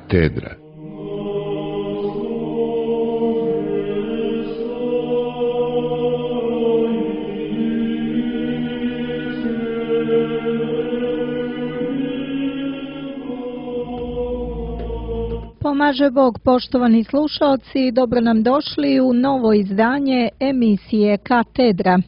Katedra. Pomaže Bog, poštovani slušalci, dobro nam došli u novo izdanje emisije Katedra.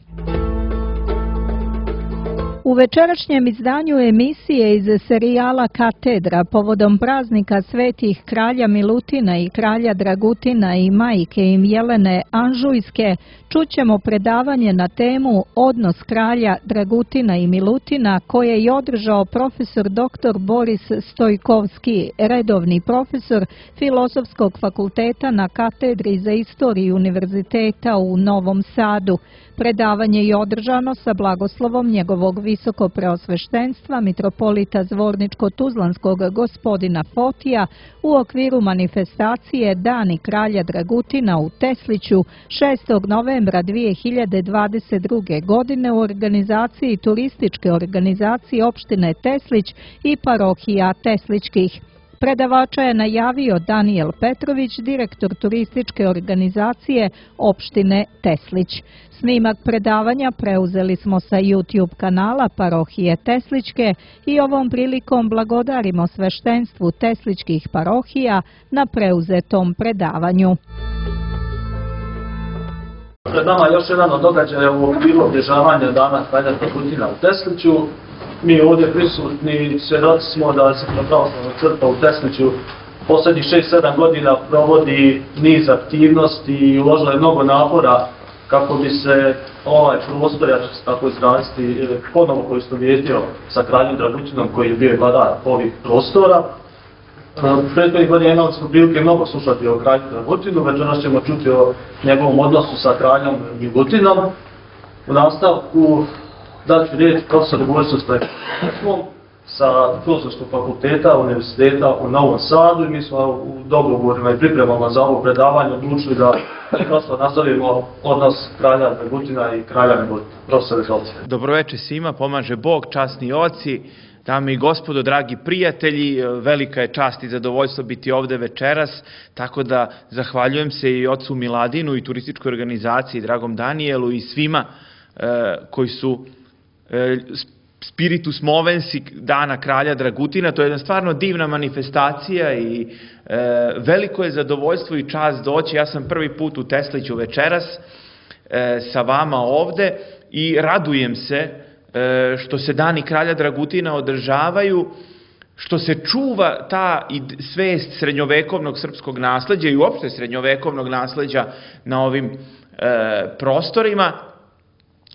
U večerašnjem izdanju emisije iz serijala Katedra povodom praznika svetih kralja Milutina i kralja Dragutina i majke im Jelene Anžujske čućemo predavanje na temu Odnos kralja Dragutina i Milutina koje je održao profesor dr. Boris Stojkovski, redovni profesor Filozofskog fakulteta na Katedri za istoriju Univerziteta u Novom Sadu. Predavanje je održano sa blagoslovom njegovog visokopreosveštenstva mitropolita Zvorničko-Tuzlanskog gospodina Fotija u okviru manifestacije Dani kralja Dragutina u Tesliću 6. novembra 2022. godine u organizaciji turističke organizacije opštine Teslić i parohija Teslićkih. Predavača je najavio Danijel Petrović, direktor turističke organizacije opštine Teslić. Snimak predavanja preuzeli smo sa YouTube kanala parohije Teslićke i ovom prilikom blagodarimo sveštenstvu Teslićkih parohija na preuzetom predavanju. Pred nama je još jedan od događaja u okviru obilježavanja Dana kralja Dragutina u Tesliću. Mi ovdje prisutni svjedoci smo da se pravoslavna crkva u Tesliću posljednjih 6-7 godina provodi niz aktivnosti i uložila je mnogo napora kako bi se ovaj prostor, ja ću se tako izraziti, ponovo poistovjetio sa kraljem Dragutinom koji je bio vladar ovih prostora. Prethodnih godina imali smo prilike mnogo slušati o kralju Dragutinu, večeras ćemo čuti o njegovom odnosu sa kraljem Milutinom. U nastavku daću riječ profesoru Borisu Stojkovskom sa Filozofskog fakulteta Univerziteta u Novom Sadu i mi smo u dogovorima i pripremama za ovo predavanje odlučili da prosto nastavimo odnos kralja Dragutina i kralja Milutina. Profesor, izvolite. Dobroveče svima, pomaže Bog, časni oci, dame i gospodo, dragi prijatelji, velika je čast i zadovoljstvo biti ovde večeras, tako da zahvaljujem se i ocu Miladinu i turističkoj organizaciji, dragom Danijelu i svima koji su spiritus movensi Dana kralja Dragutina. To je jedna stvarno divna manifestacija i veliko je zadovoljstvo i čast doći. Ja sam prvi put u Tesliću večeras sa vama ovde i radujem se što se Dani kralja Dragutina održavaju, što se čuva ta svest srednjovekovnog srpskog nasleđa i uopšte srednjovekovnog nasleđa na ovim prostorima.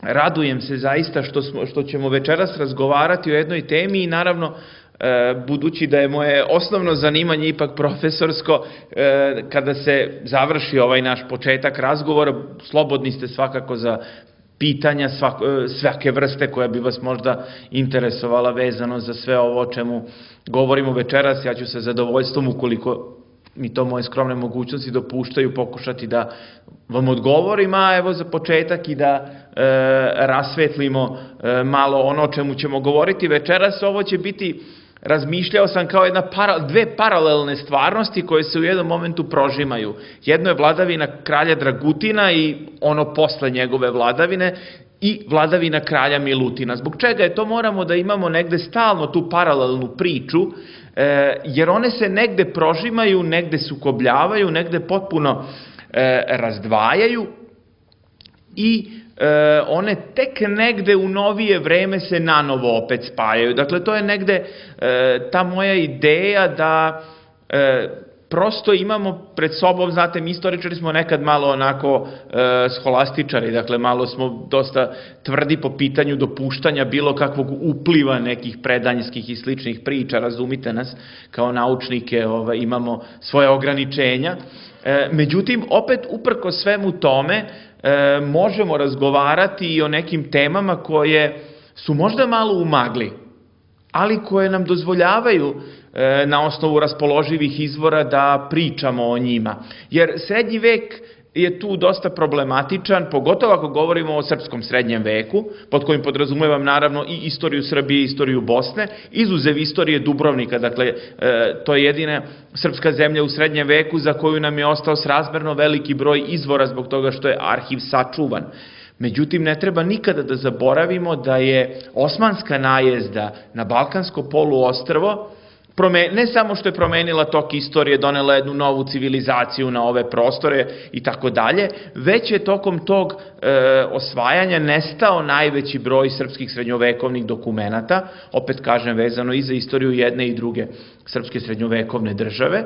Radujem se zaista što ćemo večeras razgovarati o jednoj temi i naravno, budući da je moje osnovno zanimanje ipak profesorsko, kada se završi ovaj naš početak razgovora, slobodni ste svakako za pitanja svake vrste koja bi vas možda interesovala vezano za sve ovo o čemu govorimo večeras. Ja ću sa zadovoljstvom, ukoliko mi to moje skromne mogućnosti dopuštaju, pokušati da vam odgovorim, a evo za početak i da rasvetlimo malo ono o čemu ćemo govoriti večeras. Ovo će biti, razmišljao sam, kao dve paralelne stvarnosti koje se u jednom momentu prožimaju. Jedno je vladavina kralja Dragutina i ono posle njegove vladavine i vladavina kralja Milutina. Zbog čega je to? Moramo da imamo negde stalno tu paralelnu priču, jer one se negde prožimaju, negde sukobljavaju, negde potpuno razdvajaju i one tek negde u novije vreme se nanovo opet spajaju. Dakle, to je negde ta moja ideja da prosto imamo pred sobom, znate, mi istoričari smo nekad malo onako scholastičari, dakle malo smo dosta tvrdi po pitanju dopuštanja bilo kakvog upliva nekih predanjskih i sličnih priča, razumite nas, kao naučnike imamo svoje ograničenja. Međutim, opet uprko svemu tome možemo razgovarati i o nekim temama koje su možda malo u magli, ali koje nam dozvoljavaju na osnovu raspoloživih izvora da pričamo o njima. Jer srednji vek je tu dosta problematičan, pogotovo ako govorimo o srpskom srednjem veku, pod kojim podrazumevam naravno i istoriju Srbije i istoriju Bosne, izuzev istorije Dubrovnika, dakle to je jedina srpska zemlja u srednjem veku za koju nam je ostao srazmerno veliki broj izvora zbog toga što je arhiv sačuvan. Međutim, ne treba nikada da zaboravimo da je osmanska najezda na Balkansko poluostrvo ne samo što je promenila tok istorije, donela jednu novu civilizaciju na ove prostore i tako dalje, već je tokom tog osvajanja nestao najveći broj srpskih srednjovekovnih dokumenata, opet kažem vezano i za istoriju jedne i druge srpske srednjovekovne države.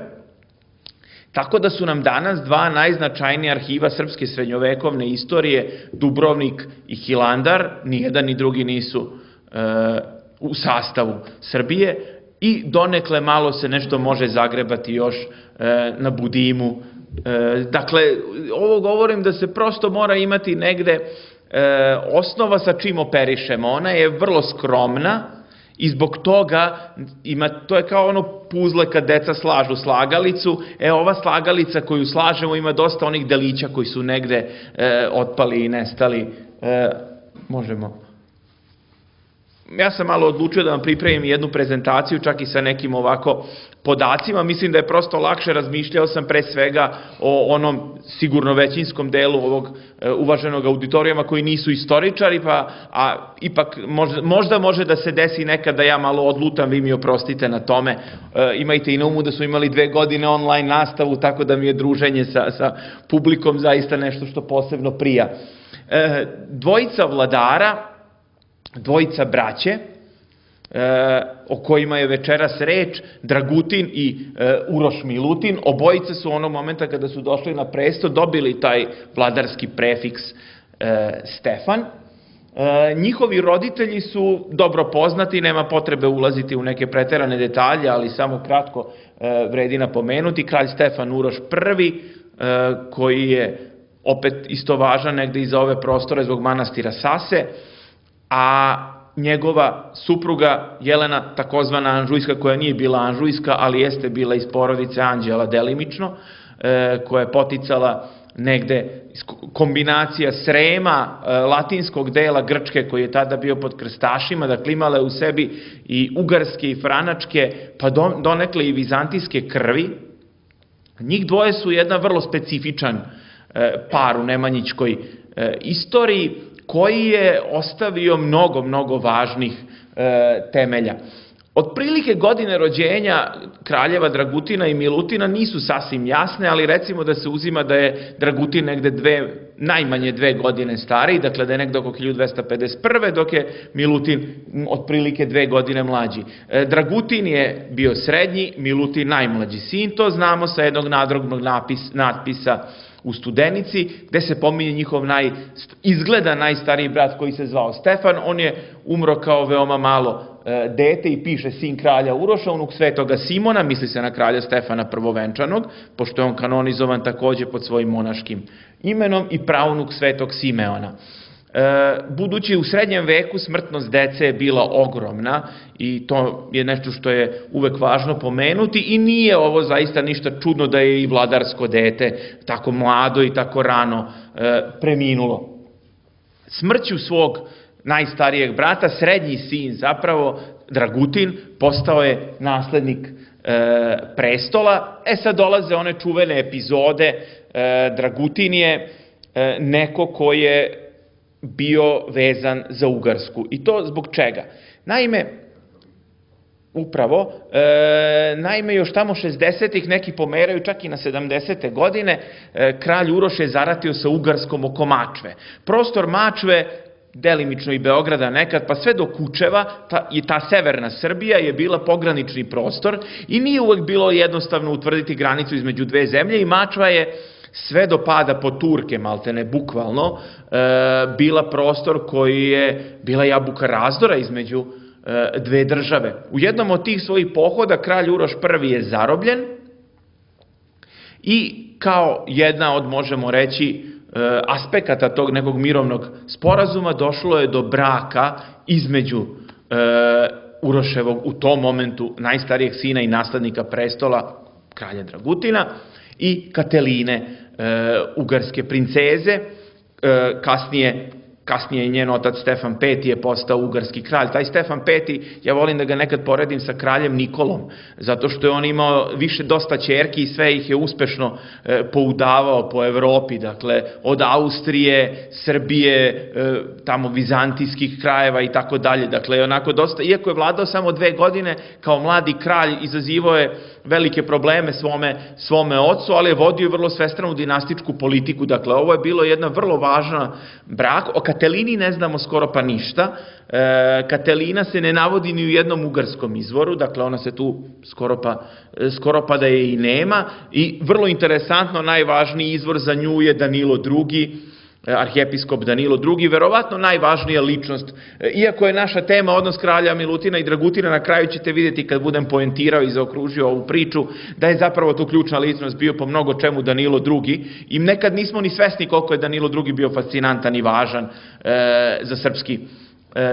Tako da su nam danas dva najznačajnija arhiva srpske srednjovekovne istorije, Dubrovnik i Hilandar, nijedan ni drugi nisu u sastavu Srbije, i donekle malo se nešto može zagrebati još na Budimu. Dakle, ovo govorim da se prosto mora imati negde osnova sa čim operišemo. Ona je vrlo skromna i zbog toga to je kao ono puzle kad deca slažu slagalicu. Ova slagalica koju slažemo ima dosta onih delića koji su negde otpali i nestali. Možemo. Ja sam malo odlučio da vam pripremim jednu prezentaciju, čak i sa nekim ovako podacima. Mislim da je prosto lakše, razmišljao sam pre svega o onom sigurno većinskom delu ovog uvaženog auditorijuma koji nisu istoričari, a ipak možda može da se desi nekad da ja malo odlutam, vi mi oprostite na tome. Imajte i na umu da su imali 2 godine online nastavu, tako da mi je druženje sa publikom zaista nešto što posebno prija. Dvojica vladara, dvojica braće, o kojima je večeras reč, Dragutin i Uroš Milutin, obojice su onog momenta kada su došli na presto dobili taj vladarski prefiks Stefan. Njihovi roditelji su dobro poznati, nema potrebe ulaziti u neke preterane detalje, ali samo kratko vredi napomenuti. Kralj Stefan Uroš I, koji je opet isto važan negde i za ove prostore zbog manastira Sase, a njegova supruga Jelena, takozvana Anžujska, koja nije bila Anžujska, ali jeste bila iz porodice Anđela delimično, koja je poticala negde kombinacija Srema, latinskog dela Grčke koji je tada bio pod krstašima, dakle imala je u sebi i ugarske i franačke, pa donekle i vizantijske krvi. Njih dvoje su jedan vrlo specifičan par u nemanjićkoj istoriji, koji je ostavio mnogo važnih temelja. Otprilike godine rođenja kraljeva Dragutina i Milutina nisu sasvim jasne, ali recimo da se uzima da je Dragutin negde najmanje 2 godine stariji, dakle da je negde oko 1251. dok je Milutin otprilike 2 godine mlađi. Dragutin je bio srednji, Milutin najmlađi sin, to znamo sa jednog nadrobnog natpisa u Studenici, gde se pominje njihov izgleda najstariji brat koji se zvao Stefan. On je umro kao veoma malo dete i piše sin kralja Uroša, unuk svetoga Simona, misli se na kralja Stefana prvovenčanog, pošto je on kanonizovan takođe pod svojim monaškim imenom, i praunuk svetog Simeona. Budući u srednjem veku smrtnost dece je bila ogromna i to je nešto što je uvek važno pomenuti i nije ovo zaista ništa čudno da je i vladarsko dete tako mlado i tako rano preminulo. Smrću svog najstarijeg brata, srednji sin zapravo, Dragutin, postao je naslednik prestola. Sad dolaze one čuvene epizode. Dragutin je neko ko je bio vezan za Ugarsku. I to zbog čega? Naime, još tamo 60-ih, neki pomeraju čak i na 70. godine, kralj Uroš je zaratio sa Ugarskom oko Mačve. Prostor Mačve, delimično i Beograda nekad, pa sve do Kučeva, i ta severna Srbija je bila pogranični prostor i nije uvek bilo jednostavno utvrditi granicu između dve zemlje i Mačva je sve do pada po Turke, maltene bukvalno, bila prostor koji je bila jabuka razdora između dve države. U jednom od tih svojih pohoda kralj Uroš I je zarobljen i kao jedna od, možemo reći, aspekata tog nekog mirovnog sporazuma došlo je do braka između Uroševog u tom momentu najstarijeg sina i naslednika prestola, kralja Dragutina, i Kateline, ugarske princeze. Kasnije njen otac Stefan V je postao ugarski kralj. Taj Stefan V, ja volim da ga nekad poredim sa kraljem Nikolom, zato što je on imao dosta ćerki i sve ih je uspešno poudavao po Evropi, dakle od Austrije, Srbije, tamo vizantijskih krajeva i tako dalje. Dakle, onako dosta, iako je vladao samo 2 godine, kao mladi kralj izazivao je velike probleme svome ocu, ali je vodio vrlo svestranu dinastičku politiku. Dakle, ovo je bilo jedna vrlo važna brak. O Katelini ne znamo skoro pa ništa. Katelina se ne navodi ni u jednom ugarskom izvoru, dakle ona se tu skoro pa da je i nema. I vrlo interesantno, najvažniji izvor za nju je Danilo II, arhijepiskop Danilo II, verovatno najvažnija ličnost. Iako je naša tema odnos kralja Milutina i Dragutina, na kraju ćete vidjeti kad budem poentirao i zaokružio ovu priču, da je zapravo tu ključna ličnost bio po mnogo čemu Danilo II. I nekad nismo ni svesni koliko je Danilo II bio fascinantan i važan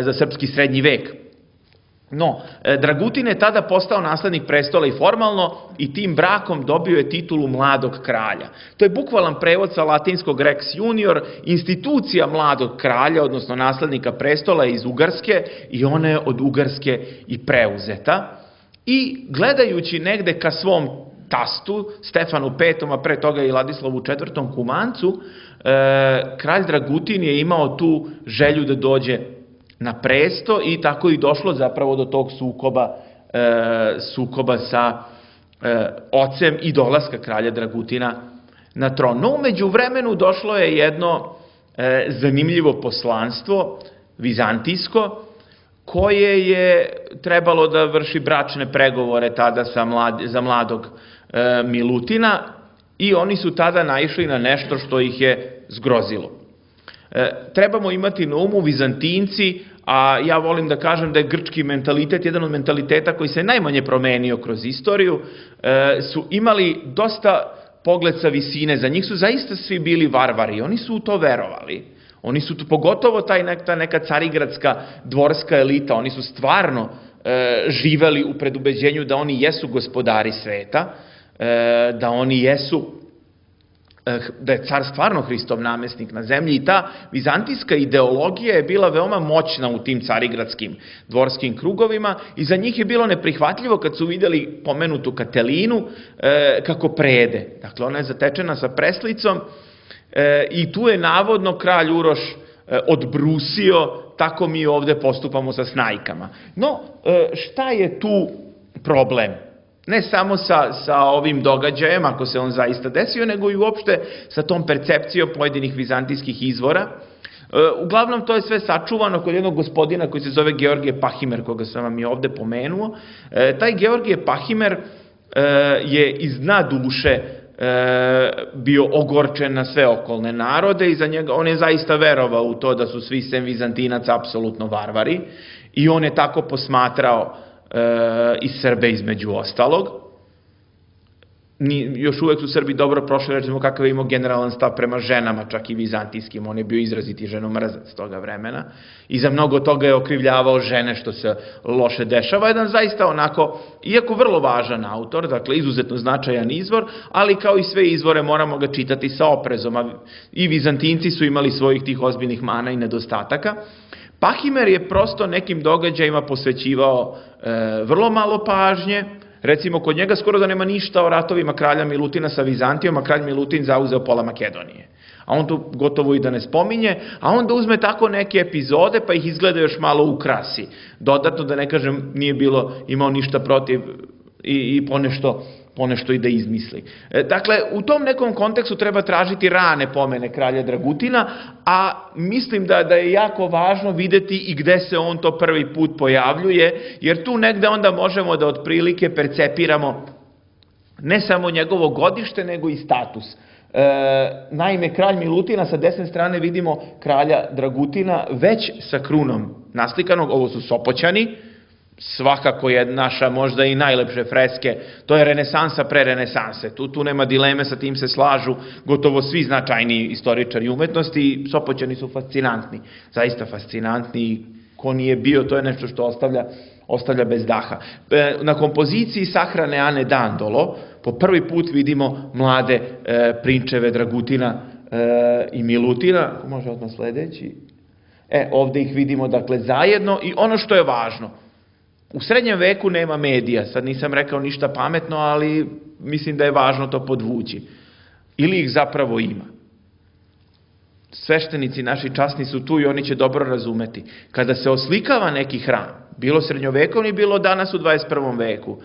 za srpski srednji vek. No, Dragutin je tada postao naslednik prestola i formalno i tim brakom dobio je titulu mladog kralja. To je bukvalan prevod sa latinskog Rex Junior, institucija mladog kralja, odnosno naslednika prestola iz Ugarske, i ona je od Ugarske i preuzeta. I gledajući negde ka svom tastu, Stefanu V, a pre toga i Ladislavu IV Kumancu, kralj Dragutin je imao tu želju da dođe na presto i tako i došlo zapravo do tog sukoba sa ocem i dolaska kralja Dragutina na tron. No, umeđu vremenu došlo je jedno zanimljivo poslanstvo, vizantijsko, koje je trebalo da vrši bračne pregovore tada za mladog Milutina i oni su tada naišli na nešto što ih je zgrozilo. Trebamo imati na umu, Vizantinci, a ja volim da kažem da je grčki mentalitet jedan od mentaliteta koji se najmanje promenio kroz istoriju, su imali dosta pogled sa visine. Za njih su zaista svi bili varvari, oni su u to verovali. Oni su, pogotovo ta neka carigradska dvorska elita, oni su stvarno živeli u predubeđenju da oni jesu gospodari sveta, da oni jesu, da je car stvarno Hristov namestnik na zemlji, i ta vizantijska ideologija je bila veoma moćna u tim carigradskim dvorskim krugovima i za njih je bilo neprihvatljivo kad su vidjeli pomenutu Katelinu kako prede. Dakle, ona je zatečena sa preslicom i tu je navodno kralj Uroš odbrusio: tako mi ovde postupamo sa snajkama. No, šta je tu problem? Ne samo sa ovim događajem, ako se on zaista desio, nego i uopšte sa tom percepcijom pojedinih vizantijskih izvora. Uglavnom, to je sve sačuvano kod jednog gospodina koji se zove Georgije Pahimer, koga sam vam i ovde pomenuo. Taj Georgije Pahimer je iz dna duše bio ogorčen na sve okolne narode i za njega, on je zaista verovao u to da su svi sem Vizantinaca apsolutno varvari i on je tako posmatrao i Srbe između ostalog. Još uvek su Srbi dobro prošli, recimo kakav je imao generalan stav prema ženama, čak i vizantijskim, on je bio izraziti ženomrzac toga vremena i za mnogo toga je okrivljavao žene što se loše dešava. Jedan zaista onako, iako vrlo važan autor, dakle izuzetno značajan izvor, ali kao i sve izvore moramo ga čitati sa oprezom, i Vizantinci su imali svojih tih ozbiljnih mana i nedostataka. Pahimer je prosto nekim događajima posvećivao vrlo malo pažnje. Recimo, kod njega skoro da nema ništa o ratovima kralja Milutina sa Vizantijom, a kralj Milutin zauzeo pola Makedonije. A on to gotovo i da ne spominje, a onda uzme tako neke epizode pa ih izgleda još malo ukrasi. Dodatno, da ne kažem, nije imao ništa protiv i ponešto i da izmisli. Dakle, u tom nekom kontekstu treba tražiti rane pomene kralja Dragutina, a mislim da je jako važno videti i gde se on to prvi put pojavljuje, jer tu negde onda možemo da otprilike percepiramo ne samo njegovo godište, nego i status. Naime, kralj Milutina, sa desne strane vidimo kralja Dragutina već sa krunom naslikanog, ovo su Sopoćani, svakako je naša možda i najlepše freske, to je renesansa pre renesanse, tu nema dileme, sa tim se slažu gotovo svi značajni istoričari umetnosti i Sopoćani su fascinantni, zaista fascinantni, ko nije bio, to je nešto što ostavlja bez daha. Na kompoziciji sahrane Ane Dandolo, po prvi put vidimo mlade prinčeve Dragutina i Milutina. Može odmah sledeći. Ovde ih vidimo, dakle, zajedno i ono što je važno, u srednjem veku nema medija, sad nisam rekao ništa pametno, ali mislim da je važno to podvući. Ili ih zapravo ima. Sveštenici naši časni su tu i oni će dobro razumeti. Kada se oslikava neki hram, bilo srednjovekovni, bilo danas u 21. veku,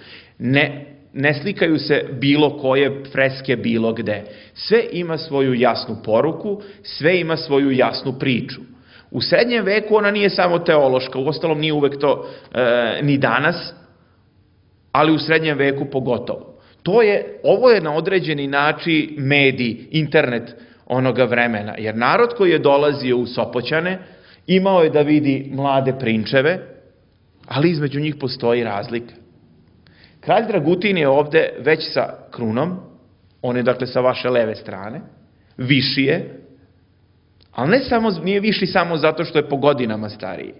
ne slikaju se bilo koje freske bilo gde. Sve ima svoju jasnu poruku, sve ima svoju jasnu priču. U srednjem veku ona nije samo teološka, uostalom nije uvek to ni danas, ali u srednjem veku pogotovo. Ovo je na određeni način medij, internet onoga vremena, jer narod koji je dolazio u Sopoćane imao je da vidi mlade prinčeve, ali između njih postoji razlika. Kralj Dragutin je ovde već sa krunom, on je dakle sa vaše leve strane, viši je, ali nije viši samo zato što je po godinama stariji,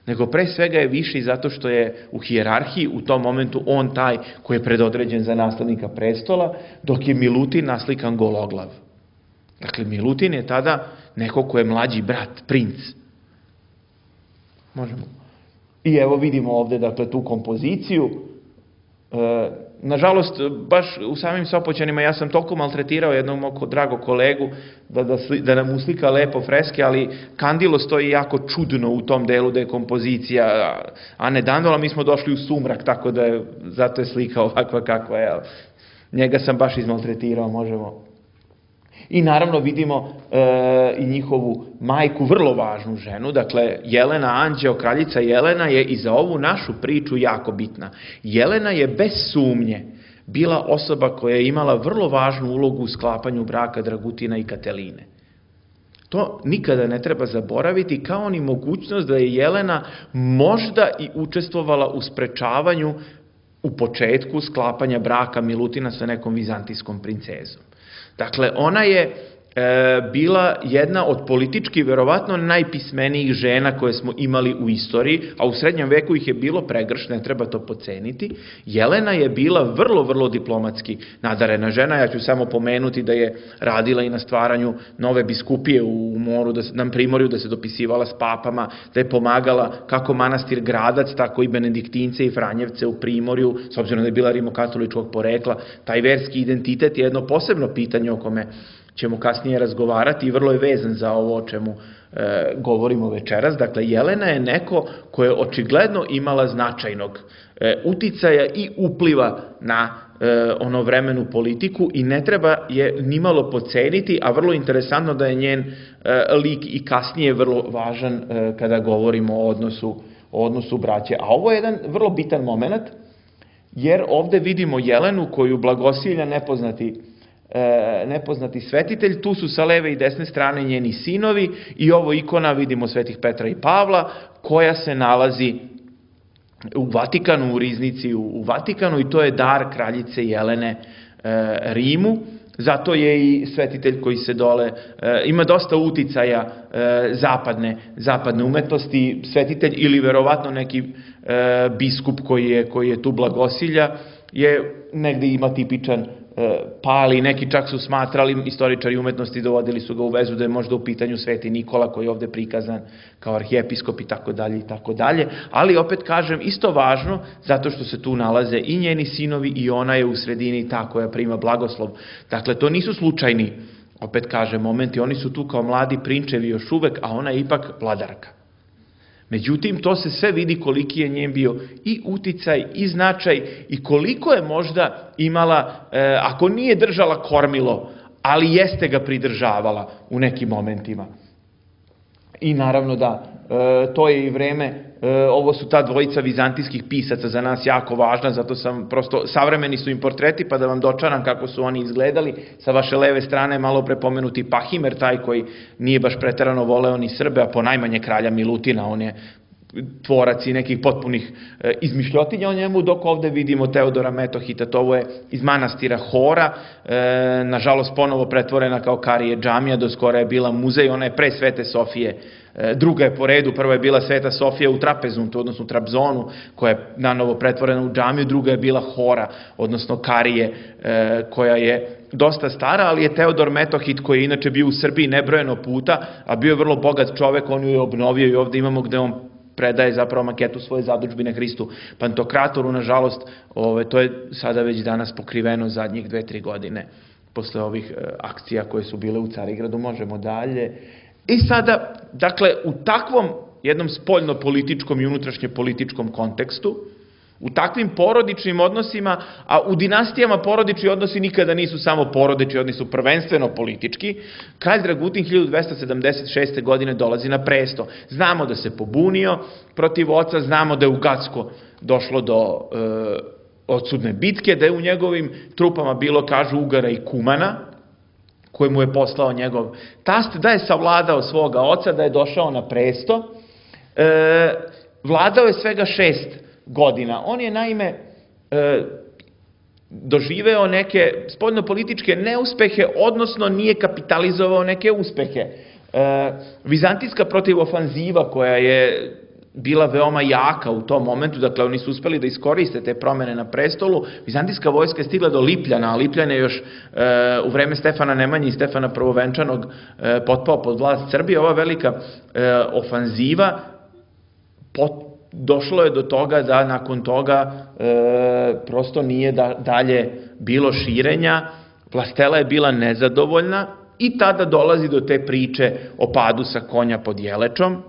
nego pre svega je viši zato što je u hijerarhiji u tom momentu on taj koji je predodređen za naslednika prestola, dok je Milutin naslikan gologlav. Dakle, Milutin je tada neko ko je mlađi brat, princ. Možemo. I evo vidimo ovde, dakle, tu kompoziciju. Nažalost, baš u samim Sopoćanima ja sam toliko maltretirao jednog mog dragog kolegu da nam uslika lepo freske, ali kandilo stoji jako čudno u tom delu da je kompozicija Ane Dandola, mi smo došli u sumrak, tako da je, zato je slika ovakva kakva je. Njega sam baš izmaltretirao, možemo. I naravno vidimo i njihovu majku, vrlo važnu ženu, dakle Jelena Anđeo, kraljica Jelena je i za ovu našu priču jako bitna. Jelena je bez sumnje bila osoba koja je imala vrlo važnu ulogu u sklapanju braka Dragutina i Kateline. To nikada ne treba zaboraviti, kao ni mogućnost da je Jelena možda i učestvovala u sprečavanju u početku sklapanja braka Milutina sa nekom vizantijskom princezom. Dakle, ona je bila jedna od politički verovatno najpismenijih žena koje smo imali u istoriji, a u srednjem veku ih je bilo pregršt, ne treba to podceniti. Jelena je bila vrlo, vrlo diplomatski nadarena žena. Ja ću samo pomenuti da je radila i na stvaranju nove biskupije u Moru, na Primorju, da se dopisivala s papama, da je pomagala kako manastir Gradac, tako i Benediktince i Franjevce u Primorju, s obzirom da je bila rimokatoličkog porekla. Taj verski identitet je jedno posebno pitanje o kome ćemo kasnije razgovarati i vrlo je vezan za ovo o čemu govorimo večeras. Dakle, Jelena je neko koja je očigledno imala značajnog uticaja i upliva na onovremenu politiku i ne treba je nimalo podceniti, a vrlo interesantno da je njen lik i kasnije vrlo važan kada govorimo o odnosu braće. A ovo je jedan vrlo bitan moment, jer ovde vidimo Jelenu koju blagosilja nepoznati svetitelj, tu su sa leve i desne strane njeni sinovi i ovo ikona, vidimo svetih Petra i Pavla, koja se nalazi u Vatikanu, u riznici u Vatikanu, i to je dar kraljice Jelene Rimu. Zato je i svetitelj koji se dole, ima dosta uticaja zapadne umetnosti, svetitelj ili verovatno neki biskup koji je tu blagosilja, je negde ima tipičan pali, neki čak su smatrali, istoričari umetnosti dovodili su ga u vezu da je možda u pitanju Sveti Nikola koji je ovde prikazan kao arhijepiskop i tako dalje, ali opet kažem, isto važno, zato što se tu nalaze i njeni sinovi i ona je u sredini ta koja prima blagoslov. Dakle, to nisu slučajni, opet kažem, momenti, oni su tu kao mladi prinčevi još uvek, a ona je ipak vladarka. Međutim, to se sve vidi koliki je njen bio i uticaj i značaj i koliko je možda imala, ako nije držala kormilo, ali jeste ga pridržavala u nekim momentima. I naravno da, to je i vreme, ovo su ta dvojica vizantijskih pisaca za nas jako važna, zato sam prosto, savremeni su im portreti, pa da vam dočaram kako su oni izgledali. Sa vaše leve strane malo prepomenuti Pahimer, taj koji nije baš preterano voleo ni Srbe, a ponajmanje kralja Milutina, on je tvorac i nekih potpunih izmišljotinja o njemu, dok ovde vidimo Teodora Metohita, to je iz manastira Hora, nažalost ponovo pretvorena kao Karije džamija, do skora je bila muzej, ona je pre Svete Sofije, druga je po redu, prva je bila Sveta Sofija u Trapezuntu, odnosno Trabzonu, koja je nanovo pretvorena u džamiju, druga je bila Hora, odnosno Karije, koja je dosta stara, ali je Teodor Metohit, koji je inače bio u Srbiji nebrojeno puta, a bio je vrlo bogat čovek, on ju je obnovio i ovde imamo gde on predaje zapravo maketu svoje zadužbine Hristu Pantokratoru, nažalost, to je sada već danas pokriveno zadnjih 2-3 godine posle ovih akcija koje su bile u Carigradu. Možemo dalje. I sada, dakle, u takvom jednom spoljno-političkom i unutrašnje-političkom kontekstu, u takvim porodičnim odnosima, a u dinastijama porodični odnosi nikada nisu samo porodični, oni su prvenstveno politički, kralj Dragutin 1276. godine dolazi na presto. Znamo da se pobunio protiv oca, znamo da je u Gacko došlo do odsudne bitke, da je u njegovim trupama bilo, kažu, Ugara i Kumana, koje mu je poslao njegov tast, da je savladao svoga oca, da je došao na presto. Vladao je svega 6 godina. On je naime doživeo neke spoljnopolitičke neuspehe, odnosno nije kapitalizovao neke uspehe. Vizantijska protivofanziva koja je bila veoma jaka u tom momentu, dakle oni su uspeli da iskoriste te promene na prestolu, vizantijska vojska je stigla do Lipljana, a Lipljan je još u vreme Stefana Nemanje i Stefana Prvovenčanog potpao pod vlast Srbije. Ova velika ofanziva došlo je do toga da nakon toga prosto nije dalje bilo širenja, vlastela je bila nezadovoljna i tada dolazi do te priče o padu sa konja pod Jelečom.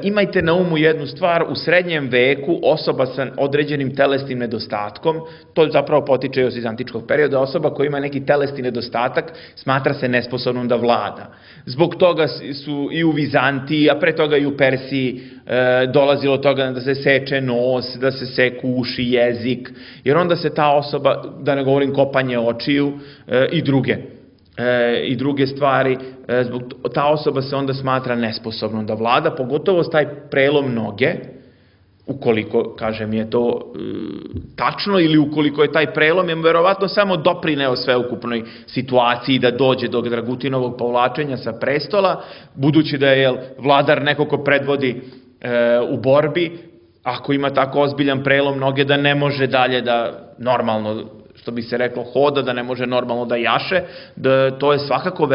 Imajte na umu jednu stvar, u srednjem veku osoba sa određenim telesnim nedostatkom, to zapravo potiče iz vizantičkog perioda, osoba koja ima neki telesni nedostatak smatra se nesposobnom da vlada. Zbog toga su i u Vizantiji, a pre toga i u Persiji dolazilo toga da se seče nos, da se seku uši, jezik, jer onda se ta osoba, da ne govorim kopanje očiju i druge stvari, ta osoba se onda smatra nesposobnom da vlada, pogotovo taj prelom noge, ukoliko, kažem, je to tačno ili ukoliko je taj prelom, je verovatno samo doprineo sveukupnoj situaciji da dođe do Dragutinovog povlačenja sa prestola, budući da je vladar neko ko predvodi u borbi, ako ima tako ozbiljan prelom noge da ne može dalje da normalno, što bi se reklo, hoda, da ne može normalno da jaše, to je svakako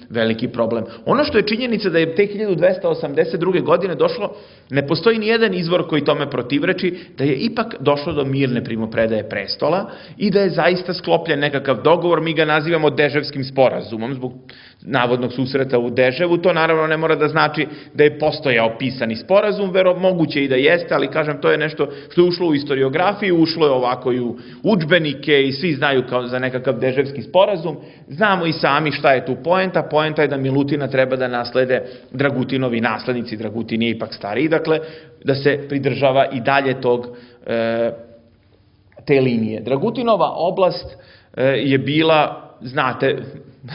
veliki problem. Ono što je činjenica da je te 1282. godine došlo, ne postoji ni jedan izvor koji tome protivreči, da je ipak došlo do mirne primopredaje prestola i da je zaista sklopljen nekakav dogovor, mi ga nazivamo Deževskim sporazumom, zbog navodnog susreta u Deževu. To naravno ne mora da znači da je postojao pisani sporazum, moguće i da jeste, ali kažem, to je nešto što je ušlo u historiografiju, ušlo je ovako i u udžbenike i svi znaju kao za nekakav Deževski sporazum. Znamo i sami šta je tu poenta. Poenta je da Milutina treba da naslede Dragutinovi naslednici. Dragutin je ipak stariji, dakle, da se pridržava i dalje te linije. Dragutinova oblast je bila, znate,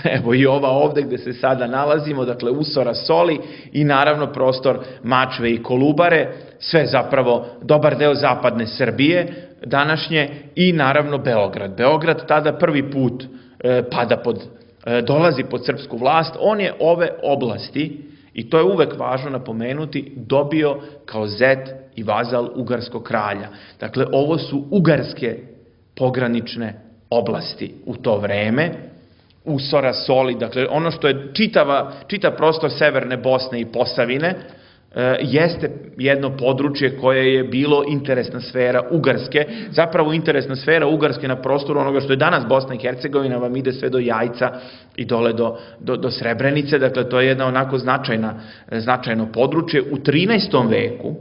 evo i ova ovde gde se sada nalazimo, dakle Usora, Soli i naravno prostor Mačve i Kolubare, sve zapravo dobar deo zapadne Srbije današnje i naravno Beograd. Beograd tada prvi put dolazi pod srpsku vlast, on je ove oblasti, i to je uvek važno napomenuti, dobio kao zet i vazal ugarskog kralja. Dakle, ovo su ugarske pogranične oblasti u to vreme, Usora, Soli, dakle ono što je čitav prostor severne Bosne i Posavine, jeste jedno područje koje je bilo interesna sfera Ugarske, zapravo interesna sfera Ugarske na prostoru onoga što je danas Bosna i Hercegovina, vam ide sve do Jajca i dole do Srebrenice, dakle to je jedna onako značajno područje. U 13. veku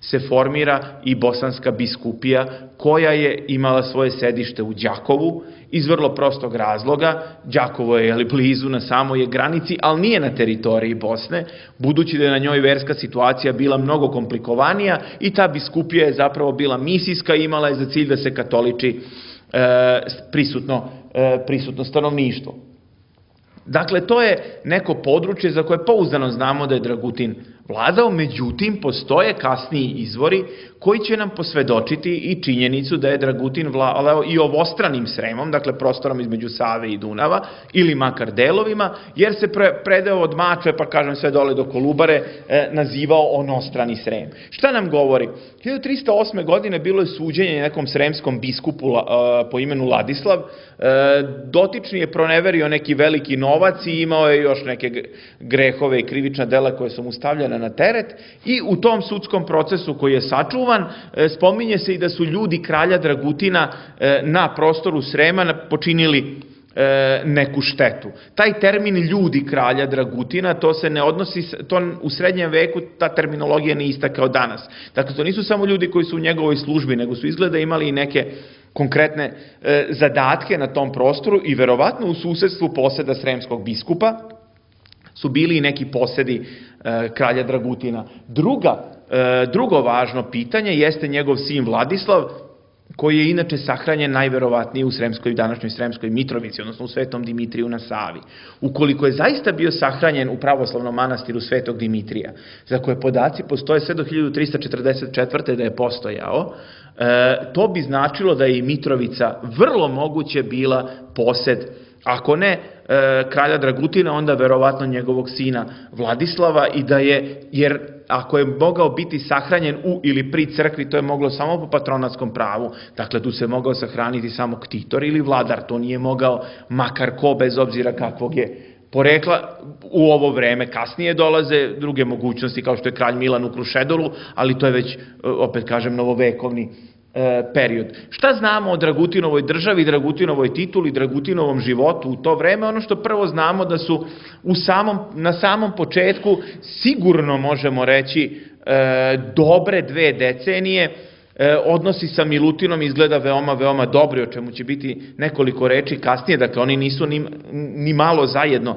se formira i bosanska biskupija koja je imala svoje sedište u Đakovu iz vrlo prostog razloga. Đakovo je blizu, na samoj granici, ali nije na teritoriji Bosne, budući da je na njoj verska situacija bila mnogo komplikovanija i ta biskupija je zapravo bila misijska i imala je za cilj da se katoliči prisutno stanovništvo. Dakle, to je neko područje za koje pouzdano znamo da je Dragutin vladao, međutim postoje kasniji izvori koji će nam posvedočiti i činjenicu da je Dragutin vladao i ovostranim Sremom, dakle prostorom između Save i Dunava, ili makar delovima, jer se predeo od Mačve, pa kažem sve dole do Kolubare, nazivao onostrani Srem. Šta nam govori? 1308. godine bilo je suđenje nekom sremskom biskupu po imenu Ladislav, dotični je proneverio neki veliki novac i imao je još neke grehove i krivična dela koje su mu stavljena na teret, i u tom sudskom procesu koji je sačuvan, spominje se i da su ljudi kralja Dragutina na prostoru Srema počinili neku štetu. Taj termin ljudi kralja Dragutina, to se ne odnosi, to u srednjem veku ta terminologija ne ista kao danas. Dakle, to nisu samo ljudi koji su u njegovoj službi, nego su izgleda imali i neke konkretne zadatke na tom prostoru i verovatno u susedstvu poseda sremskog biskupa su bili i neki posedi kralja Dragutina. Drugo važno pitanje jeste njegov sin Vladislav, koji je inače sahranjen najverovatnije u današnjoj Sremskoj Mitrovici, odnosno u Svetom Dimitriju na Savi. Ukoliko je zaista bio sahranjen u pravoslavnom manastiru Svetog Dimitrija, za koje podaci postoje sve do 1344. da je postojao, to bi značilo da je i Mitrovica vrlo moguće bila posed, ako ne kralja Dragutina, onda verovatno njegovog sina Vladislava, i da je, jer ako je mogao biti sahranjen u ili pri crkvi, to je moglo samo po patronatskom pravu, dakle tu se mogao sahraniti samo ktitor ili vladar, to nije mogao makar ko, bez obzira kakvog je porekla. U ovo vreme kasnije dolaze druge mogućnosti, kao što je kralj Milan u Krušedolu, ali to je već, opet kažem, novovekovni period. Šta znamo o Dragutinovoj državi, Dragutinovoj tituli, Dragutinovom životu u to vreme? Ono što prvo znamo da su na samom početku, sigurno možemo reći, dobre 2 decenije, odnosi sa Milutinom izgleda veoma, veoma dobri, o čemu će biti nekoliko reči kasnije, dakle oni nisu ni malo zajedno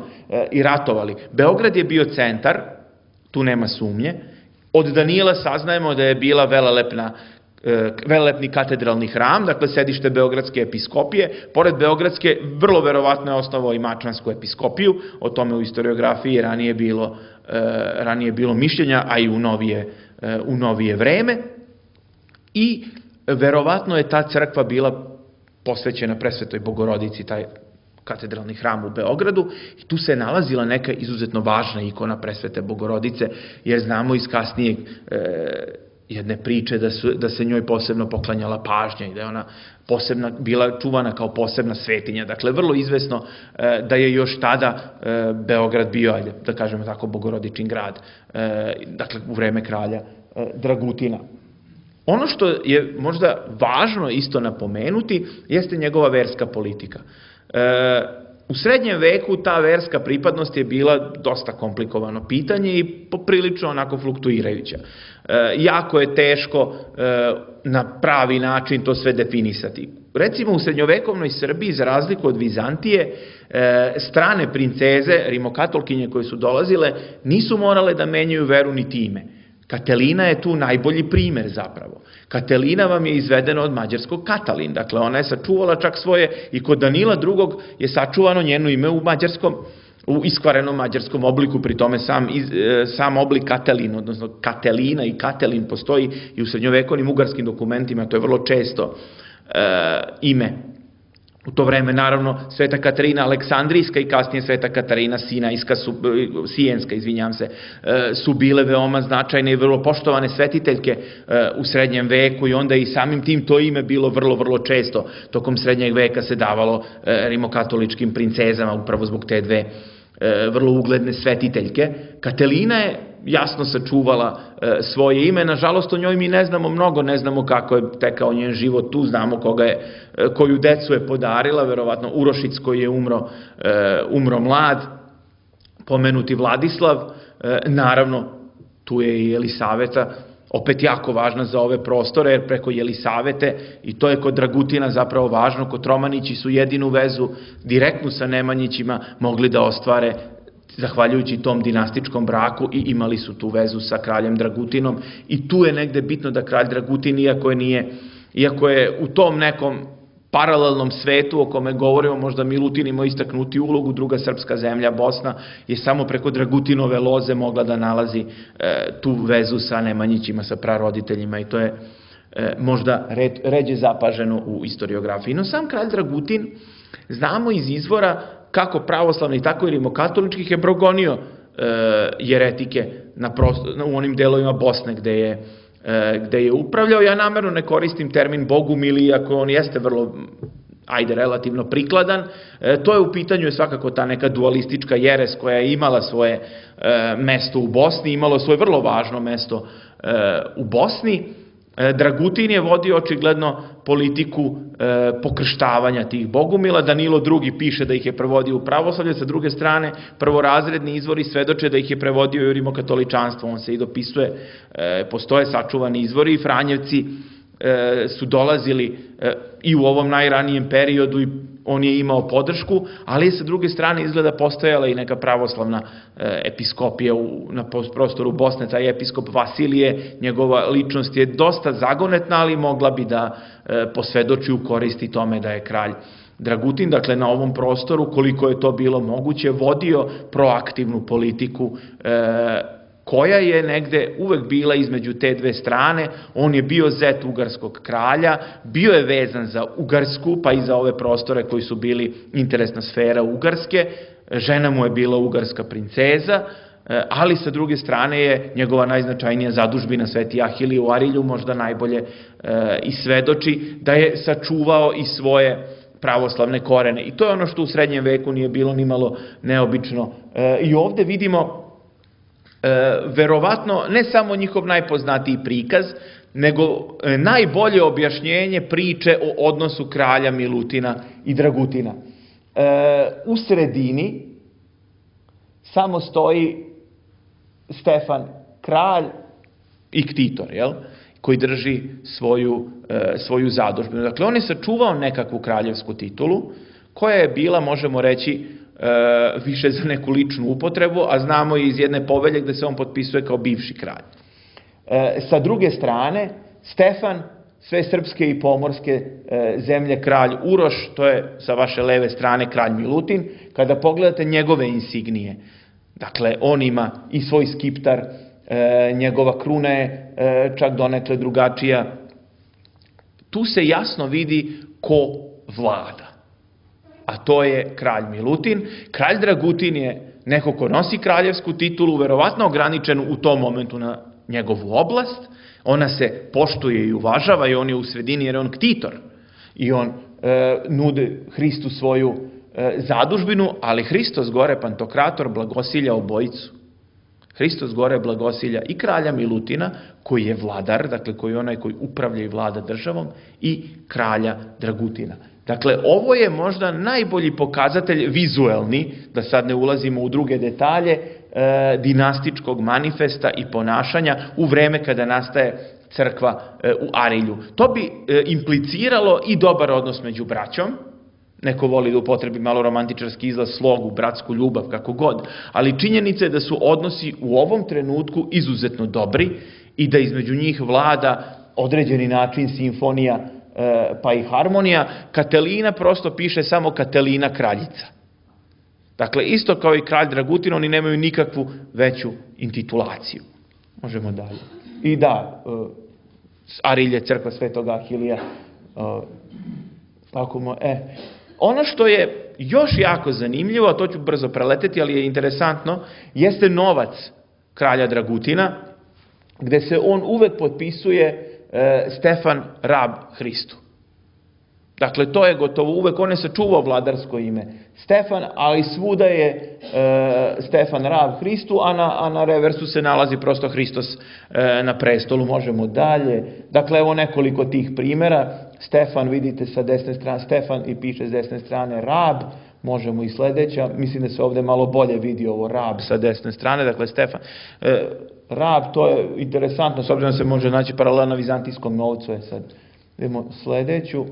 i ratovali. Beograd je bio centar, tu nema sumnje. Od Danila saznajemo da je bila velelepni katedralni hram, dakle sedište Beogradske episkopije. Pored Beogradske, vrlo verovatno je osnovao i Mačvansku episkopiju, o tome u historiografiji ranije bilo mišljenja, a i u novije vreme. I verovatno je ta crkva bila posvećena Presvetoj Bogorodici, taj katedralni hram u Beogradu, i tu se nalazila neka izuzetno važna ikona Presvete Bogorodice, jer znamo iz kasnije jedne priče da se njoj posebno poklanjala pažnja i da je ona bila čuvana kao posebna svetinja. Dakle, vrlo izvesno da je još tada Beograd bio, ajde da kažemo tako, bogorodičin grad, dakle u vreme kralja Dragutina. Ono što je možda važno isto napomenuti jeste njegova verska politika. U srednjem veku ta verska pripadnost je bila dosta komplikovano pitanje i poprilično onako fluktuirajuća. Jako je teško na pravi način to sve definisati. Recimo u srednjovekovnoj Srbiji, za razliku od Vizantije, strane princeze, rimokatolkinje koje su dolazile, nisu morale da menjaju veru niti ime. Katelina je tu najbolji primer zapravo. Katelina vam je izvedena od mađarskog Katalin, dakle ona je sačuvala čak svoje, i kod Danila II. Je sačuvano njeno ime u iskvarenom mađarskom obliku, pri tome sam oblik Katelin, odnosno Katelina i Katelin postoji i u srednjovekovnim ugarskim dokumentima, to je vrlo često ime. U to vreme, naravno, Sveta Katarina Aleksandrijska i kasnije Sveta Katarina Sijenska, su bile veoma značajne i vrlo poštovane svetiteljke u srednjem veku, i onda i samim tim to ime bilo vrlo, vrlo često. Tokom srednjeg veka se davalo rimokatoličkim princezama upravo zbog te 2 vrlo ugledne svetiteljke. Katelina je jasno sačuvala svoje ime, nažalost o njoj mi ne znamo mnogo, ne znamo kako je tekao njen život tu, znamo koju decu je podarila, verovatno Urošic koji je umro mlad, pomenuti Vladislav, naravno tu je i Jelisaveta, opet jako važna za ove prostore, jer preko Jelisavete, i to je kod Dragutina zapravo važno, Kotromanići su jedinu vezu direktnu sa Nemanjićima mogli da ostvare zahvaljujući tom dinastičkom braku, i imali su tu vezu sa kraljem Dragutinom, i tu je negde bitno da kralj Dragutin, iako je u tom nekom paralelnom svetu o kome govorimo, možda Milutin imao istaknuti ulogu, druga srpska zemlja, Bosna, je samo preko Dragutinove loze mogla da nalazi tu vezu sa Nemanjićima, sa praroditeljima, i to je možda ređe zapaženo u historiografiji. No sam kralj Dragutin, znamo iz izvora kako pravoslavnih, tako i rimokatoličkih, je progonio jeretike u onim delovima Bosne gde je upravljao. Ja namerno ne koristim termin bogumili, iako on jeste vrlo, relativno prikladan. To je u pitanju svakako ta neka dualistička jeres koja je imala svoje mesto u Bosni, imalo svoje vrlo važno mesto u Bosni. Dragutin je vodio očigledno politiku pokrštavanja tih bogumila. Danilo II piše da ih je prevodio u pravoslavlje, sa druge strane prvorazredni izvori svedoče da ih je prevodio i u rimokatoličanstvo. On se i dopisuje, postoje sačuvani izvori i Franjevci su dolazili i u ovom najranijem periodu i on je imao podršku, ali je sa druge strane izgleda postojala i neka pravoslavna episkopija na prostoru Bosne. Taj episkop Vasilije, njegova ličnost je dosta zagonetna, ali mogla bi da posvedoči u koristi tome da je kralj Dragutin, dakle na ovom prostoru, koliko je to bilo moguće, vodio proaktivnu politiku koja je negde uvek bila između te dve strane. On je bio zet ugarskog kralja, bio je vezan za Ugarsku, pa i za ove prostore koji su bili interesna sfera Ugarske, žena mu je bila ugarska princeza, ali sa druge strane je njegova najznačajnija zadužbina Sveti Ahilije u Arilju možda najbolje i svedoči da je sačuvao i svoje pravoslavne korene. I to je ono što u srednjem veku nije bilo nimalo neobično. I ovde vidimo verovatno ne samo njihov najpoznatiji prikaz, nego najbolje objašnjenje priče o odnosu kralja Milutina i Dragutina. U sredini samo stoji Stefan, kralj i ktitor, koji drži svoju zadužbinu. Dakle, on je sačuvao nekakvu kraljevsku titulu, koja je bila, možemo reći, više za neku ličnu upotrebu, a znamo i iz jedne povelje gde se on potpisuje kao bivši kralj. Sa druge strane, Stefan, sve srpske i pomorske zemlje kralj Uroš, to je sa vaše leve strane kralj Milutin. Kada pogledate njegove insignije, dakle, on ima i svoj skiptar, njegova kruna je čak donekle drugačija. Tu se jasno vidi ko vlada, a to je kralj Milutin. Kralj Dragutin je neko ko nosi kraljevsku titulu, verovatno ograničen u tom momentu na njegovu oblast. Ona se poštuje i uvažava i on je u sredini jer je on ktitor. I on nude Hristu svoju zadužbinu, ali Hristos gore Pantokrator blagosilja obojicu. Hristos gore blagosilja i kralja Milutina, koji je vladar, dakle koji je onaj koji upravlja i vlada državom, i kralja Dragutina. Dakle, ovo je možda najbolji pokazatelj vizuelni, da sad ne ulazimo u druge detalje, dinastičkog manifesta i ponašanja u vreme kada nastaje crkva u Arilju. To bi impliciralo i dobar odnos među braćom. Neko voli da upotrebi malo romantičarski izraz, slogu, bratsku ljubav, kako god, ali činjenica je da su odnosi u ovom trenutku izuzetno dobri i da između njih vlada određeni način simfonija pa i harmonija. Katelina prosto piše samo Katelina kraljica. Dakle, isto kao i kralj Dragutin, oni nemaju nikakvu veću intitulaciju. Možemo dalje. I da, Arilje, crkva Svetog Ahilija. Ono što je još jako zanimljivo, a to ću brzo preleteti, ali je interesantno, jeste novac kralja Dragutina, gde se on uvek potpisuje Stefan Rab Hristu. Dakle, to je gotovo uvek, on je sačuvao vladarsko ime Stefan, ali svuda je Stefan Rab Hristu, a na reversu se nalazi prosto Hristos na prestolu. Možemo dalje. Dakle, evo nekoliko tih primjera. Stefan, vidite sa desne strane, Stefan i piše s desne strane Rab, možemo i sledeća, mislim da se ovde malo bolje vidi ovo Rab sa desne strane, dakle Stefan. Rab, to je interesantno, s obzirom da se može naći paralelno na vizantijskom novcu, sad idemo sledeću.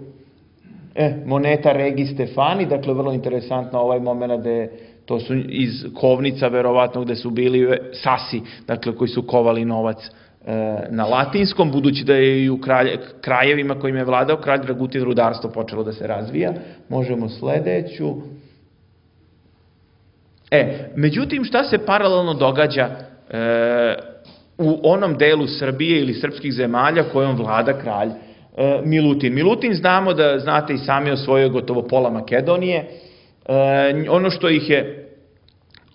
Moneta Regi Stefani, dakle vrlo interesantno ovaj moment gde to su iz kovnica verovatno gde su bili sasi, dakle koji su kovali novac na latinskom, budući da je i u krajevima kojim je vladao kralj Dragutin rudarstvo počelo da se razvija. Možemo sledeću. Međutim, šta se paralelno događa u onom delu Srbije ili srpskih zemalja kojom vlada kralj Milutin? Milutin znamo da, znate i sami, osvojio gotovo pola Makedonije. Ono što ih je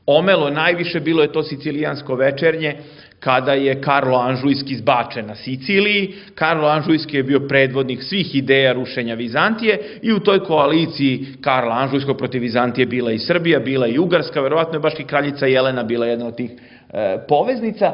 omelo najviše bilo je to sicilijansko večernje, kada je Karlo Anžujski zbačen na Siciliji. Karlo Anžujski je bio predvodnik svih ideja rušenja Vizantije i u toj koaliciji Karla Anžujskog protiv Vizantije bila i Srbija, bila i Ugarska, verovatno je baš i kraljica Jelena bila jedna od tih poveznica.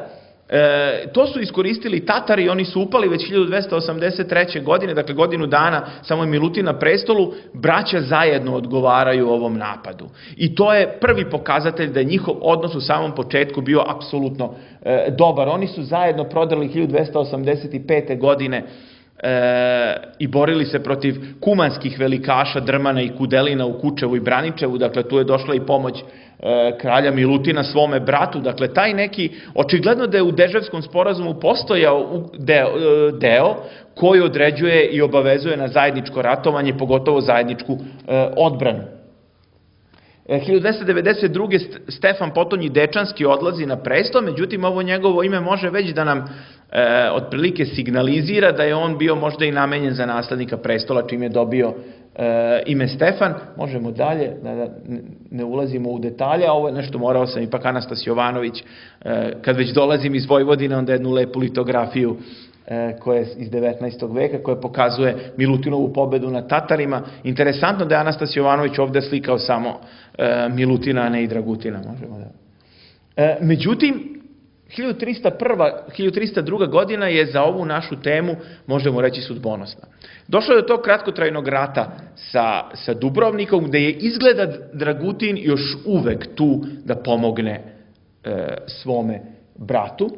To su iskoristili Tatari, oni su upali već 1283. godine, dakle godinu dana samo je Milutin na prestolu, braća zajedno odgovaraju ovom napadu. I to je prvi pokazatelj da je njihov odnos u samom početku bio apsolutno dobar. Oni su zajedno prodali 1285. godine i borili se protiv kumanskih velikaša Drmana i Kudelina u Kučevu i Braničevu, dakle tu je došla i pomoć kralja Milutina svome bratu, dakle taj neki, očigledno da je u Deževskom sporazumu postojao deo koji određuje i obavezuje na zajedničko ratovanje, pogotovo zajedničku odbranu. 1292. Stefan Potonji Dečanski odlazi na presto, međutim ovo njegovo ime može već da nam otprilike signalizira da je on bio možda i namenjen za naslednika prestola, čim je dobio ime Stefan. Možemo dalje, da ne ulazimo u detalje, a ovo je nešto, morao sam ipak Anastas Jovanović, kad već dolazim iz Vojvodine, onda jednu lepu litografiju koja je iz 19. veka, koja pokazuje Milutinovu pobedu nad Tatarima. Interesantno da je Anastas Jovanović ovde slikao samo Milutina, a ne i Dragutina. Međutim, 1302. godina je za ovu našu temu, možemo reći, sudbonosna. Došlo je do tog kratkotrajnog rata sa Dubrovnikom, gde je izgleda Dragutin još uvek tu da pomogne svome bratu,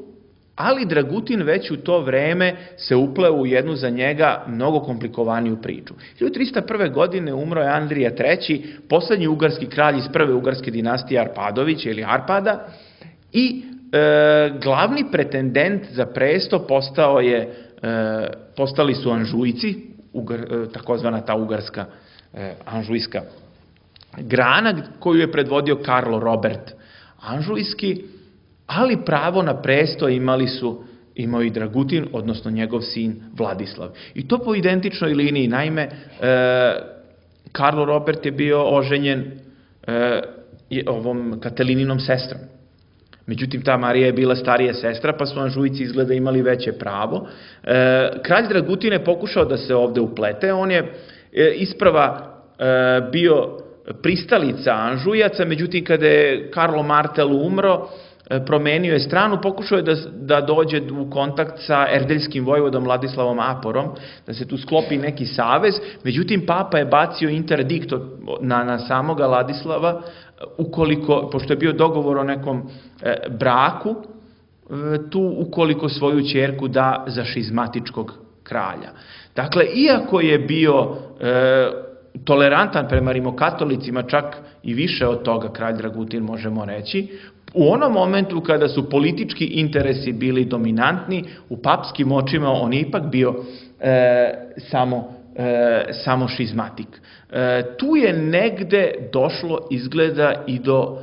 ali Dragutin već u to vreme se upleo u jednu za njega mnogo komplikovaniju priču. 1301. godine umro je Andrija III, poslednji ugarski kralj iz prve ugarske dinastije Arpadovića ili Arpada, i glavni pretendent za presto postali su Anžujci, takozvana ta ugarska anžujska grana koju je predvodio Karlo Robert Anžujski, ali pravo na presto imao i Dragutin, odnosno njegov sin Vladislav. I to po identičnoj liniji. Naime, Karlo Robert je bio oženjen ovom Katalininom sestrom. Međutim, ta Marija je bila starija sestra, pa su Anžujci izgleda imali veće pravo. Kralj Dragutin je pokušao da se ovde uplete. On je isprava bio pristalica Anžujaca, međutim, kada je Karlo Martel umro, promenio je stranu, pokušao je da dođe u kontakt sa erdeljskim vojvodom Vladislavom Aporom, da se tu sklopi neki savez, međutim papa je bacio interdikt na samoga Vladislava, pošto je bio dogovor o nekom braku, ukoliko svoju ćerku da za šizmatičkog kralja. Dakle, iako je bio tolerantan prema rimokatolicima, čak i više od toga kralj Dragutin, možemo reći, u onom momentu kada su politički interesi bili dominantni, u papskim očima on je ipak bio samo šizmatik. Tu je negde došlo, izgleda, i do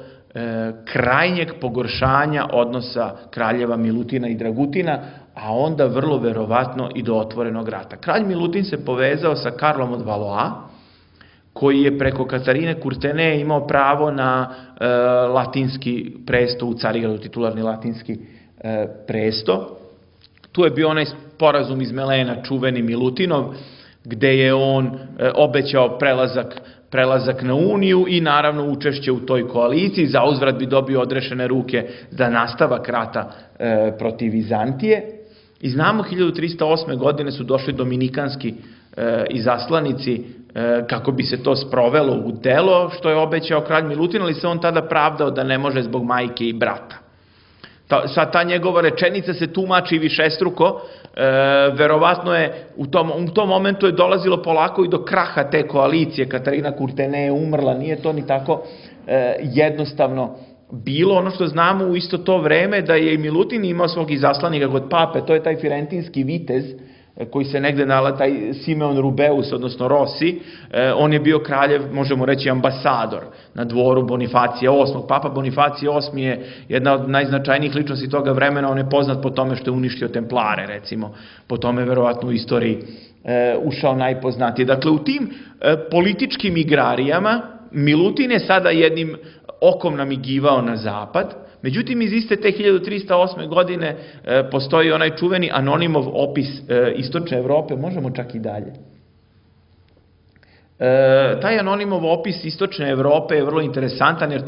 krajnjeg pogoršanja odnosa kraljeva Milutina i Dragutina, a onda vrlo verovatno i do otvorenog rata. Kralj Milutin se povezao sa Karlom od Valois, koji je preko Katarine Kurtene imao pravo na latinski presto u Carigradu, titularni latinski presto. Tu je bio onaj sporazum iz Melena, čuveni Milutinov, gde je on obećao prelazak na Uniju i naravno učešće u toj koaliciji. Za uzvrat bi dobio odrešene ruke za nastavak rata protiv Vizantije. I znamo, 1308. godine su došli dominikanski izaslanici kako bi se to sprovelo u delo, što je obećao kralj Milutin, ali se on tada pravdao da ne može zbog majke i brata. Ta njegova rečenica se tumači višestruko, verovatno je u tom momentu je dolazilo polako i do kraha te koalicije. Katarina Kurtene je umrla, nije to ni tako jednostavno bilo ono što znamo u isto to vreme da je i Milutin imao svog izaslanika kod pape, to je taj firentinski vitez koji se negde nalazi, taj Simeon Rubeus, odnosno Rossi, on je bio kraljev, možemo reći, ambasador na dvoru Bonifacija VIII. Papa Bonifacije VIII je jedna od najznačajnijih ličnosti toga vremena, on je poznat po tome što je uništio templare, recimo, po tome verovatno u istoriji ušao najpoznatiji. Dakle, u tim političkim igrarijama Milutin je sada jednim okom namigivao na zapad, međutim iz iste te 1308. godine postoji onaj čuveni Anonimov opis istočne Evrope, možemo čak i dalje. Taj Anonimov opis istočne Evrope je vrlo interesantan jer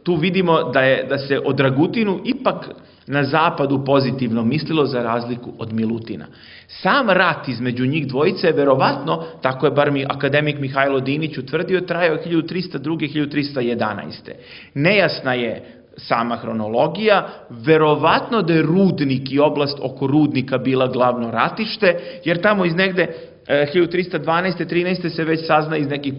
tu vidimo da se o Dragutinu ipak na zapadu pozitivno mislilo za razliku od Milutina. Sam rat između njih dvojice je verovatno, tako je bar akademik Mihajlo Dinić utvrdio, trajao 1302. 1311. Nejasna je sama hronologija, verovatno da je Rudnik i oblast oko Rudnika bila glavno ratište, jer tamo iz negde 1312. 13. se već sazna iz nekih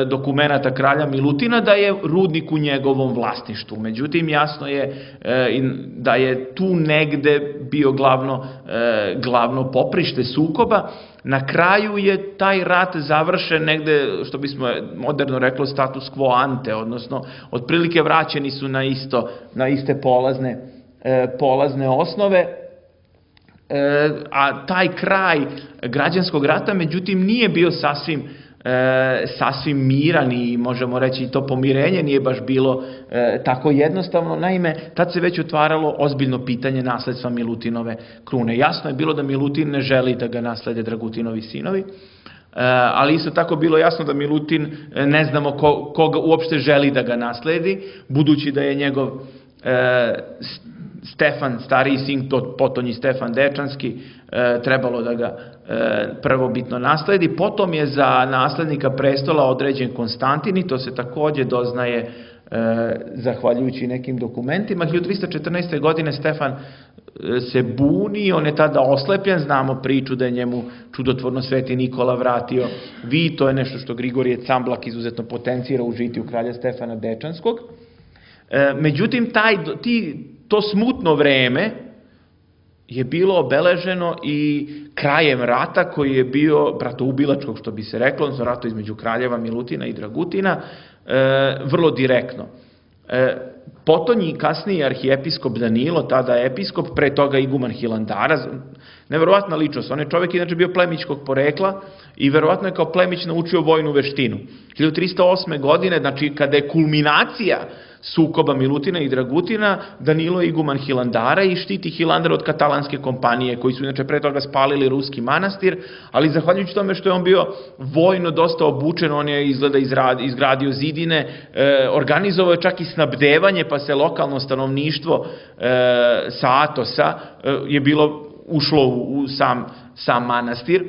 dokumenata kralja Milutina da je Rudnik u njegovom vlasništvu. Međutim, jasno je da je tu negde bio glavno poprište sukoba. Na kraju je taj rat završen negde, što bismo moderno reklo, status quo ante, odnosno otprilike vraćeni su na iste polazne osnove, a taj kraj građanskog rata, međutim, nije bio sasvim miran i možemo reći to pomirenje nije baš bilo tako jednostavno. Naime, tad se već otvaralo ozbiljno pitanje nasledstva Milutinove krune. Jasno je bilo da Milutin ne želi da ga naslede Dragutinovi sinovi, ali isto tako bilo jasno da Milutin ne znamo koga uopšte želi da ga nasledi, budući da je njegov Stefan, stariji sin, potonji Stefan Dečanski, trebalo da ga prvobitno nasledi. Potom je za naslednika prestola određen Konstantin i to se takođe doznaje zahvaljujući nekim dokumentima. 1314. godine Stefan se buni, on je tada oslepljen, znamo priču da je njemu čudotvorno Sveti Nikola vratio vid, to je nešto što Grigorije Camblak izuzetno potencira u žitiju kralja Stefana Dečanskog. Međutim, to smutno vreme je bilo obeleženo i krajem rata koji je bio bratoubilačkog, što bi se reklo, odnosno rata između kraljeva Milutina i Dragutina, vrlo direktno. Potonji kasniji arhijepiskop Danilo, tada episkop, pre toga iguman Hilandara, neverovatna ličnost, on je čovjek inače bio plemićkog porekla i verovatno je kao plemić naučio vojnu veštinu. 1308. godine, znači kada je kulminacija sukoba Milutina i Dragutina, Danilo je iguman Hilandara i štiti Hilandar od katalanske kompanije, koji su inače pre toga spalili ruski manastir, ali zahvaljujući tome što je on bio vojno dosta obučen, on je izgleda izgradio zidine, organizovao je čak i snabdevanje, pa se lokalno stanovništvo sa Atosa je ušlo u sam manastir,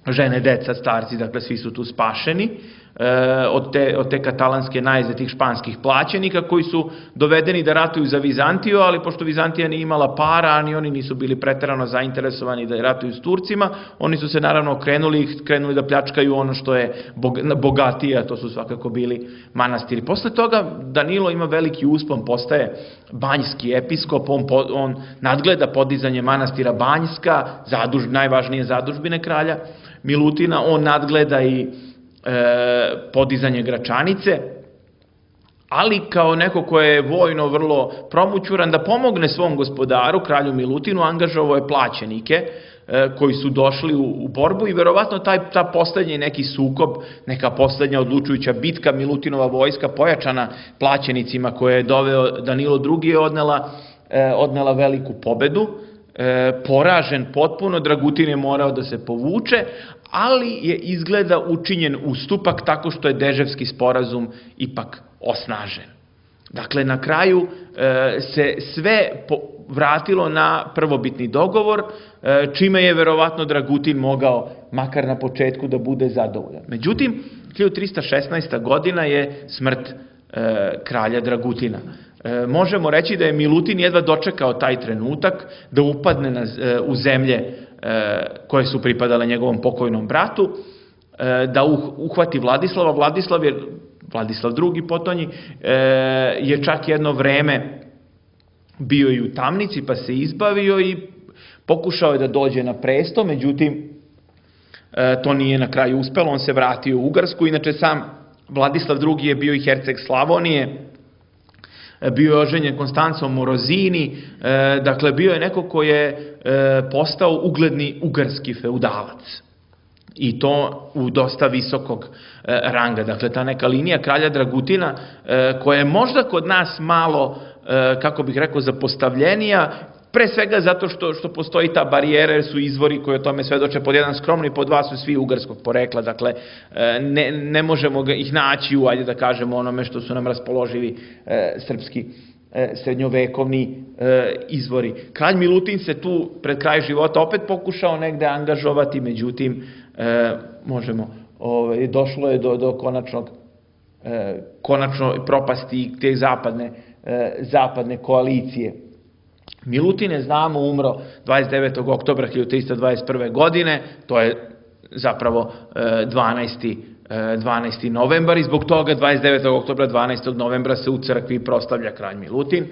žene, deca, starci, dakle svi su tu spašeni od te katalanske najezde tih španskih plaćenika koji su dovedeni da ratuju za Vizantiju, ali pošto Vizantija nije imala para, ani oni nisu bili preterano zainteresovani da ratuju s Turcima, oni su se naravno krenuli da pljačkaju ono što je bogatije, a to su svakako bili manastiri. Posle toga Danilo ima veliki uspon, postaje banjski episkop, on nadgleda podizanje manastira Banjska, najvažnije zadužbine kralja Milutina, on nadgleda i podizanje Gračanice, ali kao neko ko je vojno vrlo promućuran da pomogne svom gospodaru, kralju Milutinu, angažovao je plaćenike koji su došli u borbu i verovatno ta poslednji neki sukob, neka poslednja odlučujuća bitka, Milutinova vojska pojačana plaćenicima koje je doveo Danilo II je odnela veliku pobedu, poražen potpuno, Dragutin je morao da se povuče, ali je izgleda učinjen ustupak tako što je Deževski sporazum ipak osnažen. Dakle, na kraju se sve vratilo na prvobitni dogovor, čime je verovatno Dragutin mogao, makar na početku, da bude zadovoljan. Međutim, 1316. godina je smrt kralja Dragutina. Možemo reći da je Milutin jedva dočekao taj trenutak da upadne u zemlje koje su pripadale njegovom pokojnom bratu, da uhvati Vladislava. Vladislav je Vladislav II. Potonji, je čak jedno vreme bio i u tamnici, pa se izbavio i pokušao je da dođe na presto, međutim, to nije na kraju uspelo, on se vratio u Ugarsku. Inače, sam Vladislav II. Je bio i herceg Slavonije, bio je oženjen Konstancom Morozini, dakle, bio je neko ko je postao ugledni ugarski feudalac. I to u dosta visokog ranga. Dakle, ta neka linija kralja Dragutina, koja je možda kod nas malo, kako bih rekao, zapostavljenija, pre svega zato što postoji ta barijera, jer su izvori koji o tome svedoče, pod jedan skromni, pod dva su svi ugarskog porekla, dakle ne možemo ih naći u, ajde da kažemo, onome što su nam raspoloživi srpski srednjovekovni izvori. Kralj Milutin se tu pred kraj života opet pokušao negde angažovati, međutim, došlo je do konačno propasti te zapadne koalicije. Milutin je, znamo, umro 29. oktobra 1321. godine, to je zapravo 12. novembar i zbog toga 29. oktobra, 12. novembra se u crkvi proslavlja kralj Milutin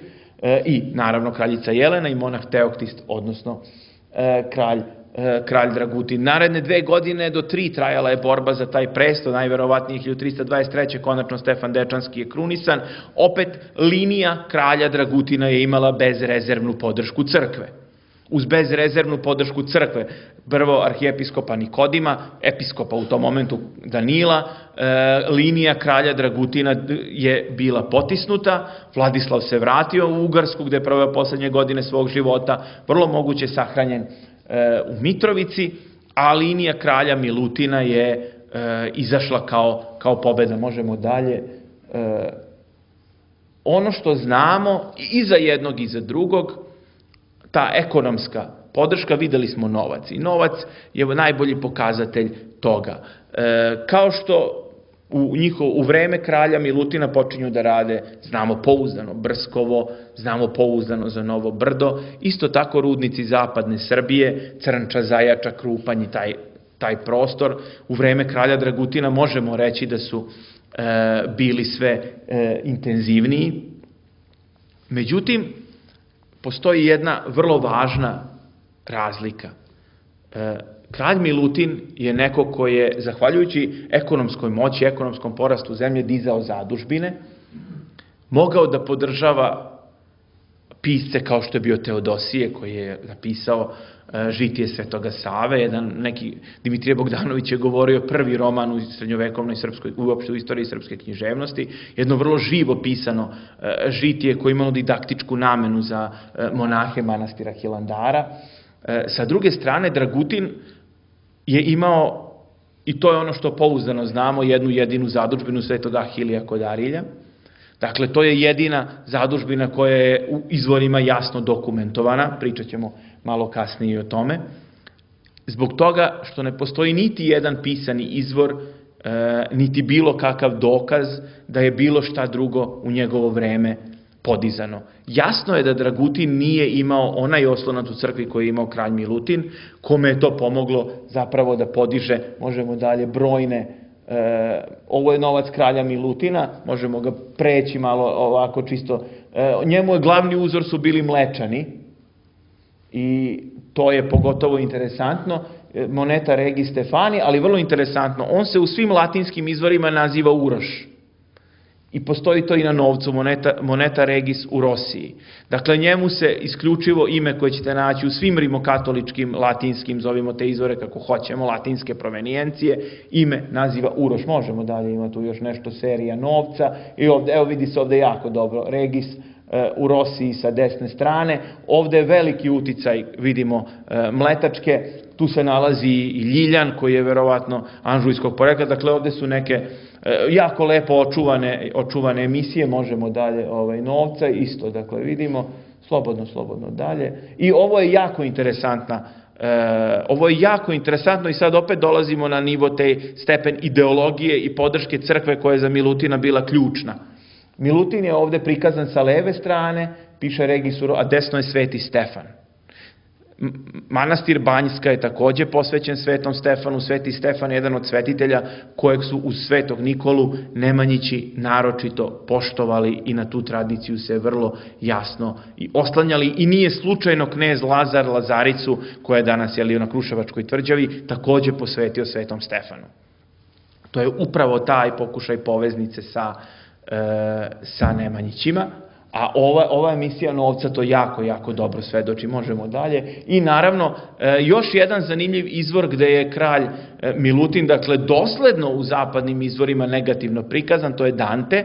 i naravno kraljica Jelena i monah Teoktist, odnosno kralj Dragutin. Naredne 2 godine do 3 trajala je borba za taj presto, najverovatnije 1323. konačno Stefan Dečanski je krunisan. Opet linija kralja Dragutina je imala bezrezervnu podršku crkve. Uz bezrezervnu podršku crkve, prvo arhijepiskopa Nikodima, episkopa u tom momentu Danila, linija kralja Dragutina je bila potisnuta, Vladislav se vratio u Ugarsku gde je proveo poslednje godine svog života, vrlo moguće sahranjen u Mitrovici, a linija kralja Milutina je izašla kao pobeda. Možemo dalje. Ono što znamo i za jednog i za drugog, ta ekonomska podrška, videli smo novac. I novac je najbolji pokazatelj toga. Kao što u vreme kralja Milutina počinju da rade, znamo pouzdano Brskovo, znamo pouzdano za Novo Brdo, isto tako rudnici zapadne Srbije, Crnča, Zajača, Krupanj i taj prostor. U vreme kralja Dragutina možemo reći da su bili sve intenzivniji. Međutim, postoji jedna vrlo važna razlika. Kralj Milutin je neko ko je, zahvaljujući ekonomskoj moći, ekonomskom porastu zemlje, dizao zadužbine, mogao da podržava pisce kao što je bio Teodosije, koji je napisao Žitije Svetoga Save, neki Dimitrije Bogdanović je govorio prvi roman u srednjovekovnoj srpskoj, uopšte u istoriji srpske književnosti, jedno vrlo živo pisano žitije koje je imalo didaktičku namenu za monahe manastira Hilandara. Sa druge strane, Dragutin je imao, i to je ono što pouzdano znamo, jednu jedinu zadužbinu Svetog Ahilija kod Arilja. Dakle, to je jedina zadužbina koja je u izvorima jasno dokumentovana, pričat ćemo malo kasnije o tome, zbog toga što ne postoji niti jedan pisani izvor, niti bilo kakav dokaz da je bilo šta drugo u njegovo vreme podizano. Jasno je da Dragutin nije imao onaj oslonac u crkvi koji je imao kralj Milutin, kome je to pomoglo zapravo da podiže, možemo dalje, brojne, ovo je novac kralja Milutina, možemo ga preći malo ovako čisto, njemu je glavni uzor su bili Mlečani i to je pogotovo interesantno, moneta Regis Stefani, ali vrlo interesantno, on se u svim latinskim izvorima naziva Uroš. I postoji to i na novcu, moneta Regis u Rosiji. Dakle, njemu se isključivo ime koje ćete naći u svim rimokatoličkim, latinskim, zovimo te izvore kako hoćemo, latinske provenijencije, ime naziva Uroš. Možemo dalje, ima tu još nešto serija novca. I ovde, evo vidi se ovde jako dobro, Regis u Rosiji sa desne strane. Ovde je veliki uticaj, vidimo, mletačke, tu se nalazi i Ljiljan koji je verovatno anžujskog porekla. Dakle, ovde su neke jako lepo očuvane emisije, možemo dalje novca, isto, dakle, vidimo, slobodno dalje. I ovo je jako interesantno, i sad opet dolazimo na nivo te stepen ideologije i podrške crkve koja je za Milutina bila ključna. Milutin je ovde prikazan sa leve strane, piše Regis, a desno je Sveti Stefan. Manastir Banjska je takođe posvećen Svetom Stefanu. Sveti Stefan je jedan od svetitelja kojeg su uz Svetog Nikolu Nemanjići naročito poštovali i na tu tradiciju se vrlo jasno i oslanjali. I nije slučajno knez Lazar Lazaricu, koja je danas na Kruševačkoj tvrđavi, takođe posvetio Svetom Stefanu. To je upravo taj pokušaj poveznice sa Nemanjićima. A ova emisija Novca to jako dobro svedoči. Možemo dalje. I naravno, još jedan zanimljiv izvor gde je kralj Milutin, dakle, dosledno u zapadnim izvorima negativno prikazan, to je Dante.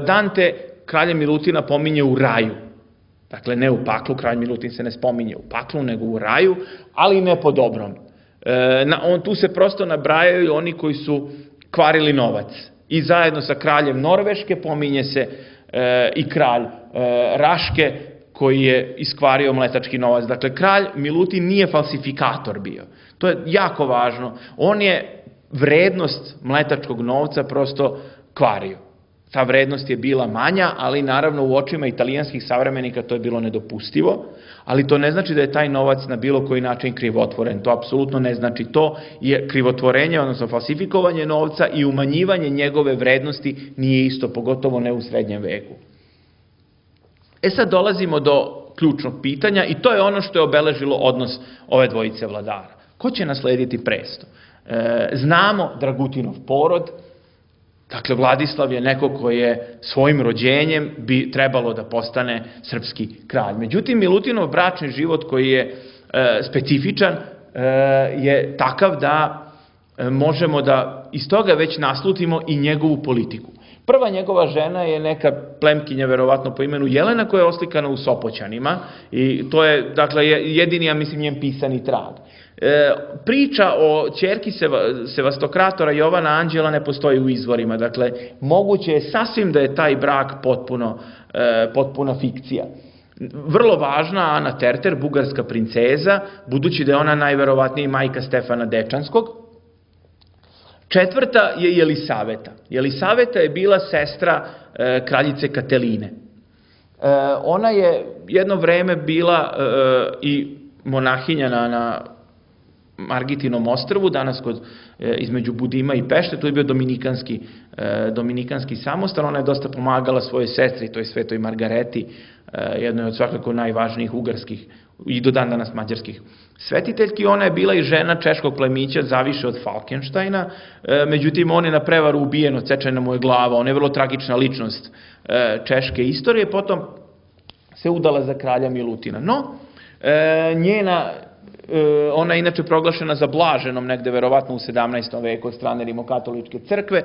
Dante kralja Milutina pominje u raju. Dakle, ne u paklu, kralj Milutin se ne spominje u paklu, nego u raju, ali ne po dobrom. Tu se prosto nabrajaju oni koji su kvarili novac. I zajedno sa kraljem Norveške pominje se i kralj Raške koji je iskvario mletački novac. Dakle, kralj Milutin nije falsifikator bio. To je jako važno. On je vrednost mletačkog novca prosto kvario. Ta vrednost je bila manja, ali naravno u očima italijanskih savremenika to je bilo nedopustivo, ali to ne znači da je taj novac na bilo koji način krivotvoren. To apsolutno ne znači. To je krivotvorenje, odnosno falsifikovanje novca i umanjivanje njegove vrednosti nije isto, pogotovo ne u srednjem veku. Sad dolazimo do ključnog pitanja i to je ono što je obeležilo odnos ove dvojice vladara. Ko će naslediti presto? Znamo Dragutinov porod. Dakle, Vladislav je neko koji je svojim rođenjem bi trebalo da postane srpski kralj. Međutim, Milutinov bračni život koji je specifičan je takav da možemo da iz toga već naslutimo i njegovu politiku. Prva njegova žena je neka plemkinja, verovatno po imenu Jelena, koja je oslikana u Sopoćanima i to je, dakle, jedini, ja mislim, njen pisani trag. Priča o ćerki Sevastokratora Jovana Anđela ne postoji u izvorima, dakle, moguće je sasvim da je taj brak potpuna fikcija. Vrlo važna Ana Terter, bugarska princeza, budući da je ona najverovatnije majka Stefana Dečanskog. Četvrta je Jelisaveta. Jelisaveta je bila sestra kraljice Kateline. Ona je jedno vreme bila i monahinja na Margitinom ostrvu, danas između Budima i Pešte, tu je bio dominikanski samostan. Ona je dosta pomagala svojoj sestri, to je Svetoj Margareti, jednoj od svakako najvažnijih ugarskih i do dan danas mađarskih svetiteljki. Ona je bila i žena češkog plemića Zaviše od Falkenštajna, međutim on je na prevaru ubijen, odsečena mu je glava. Ona je vrlo tragična ličnost češke istorije, potom se udala za kralja Milutina. No, ona je inače proglašena za blaženom negde verovatno u 17. veku od strane Rimokatoličke crkve.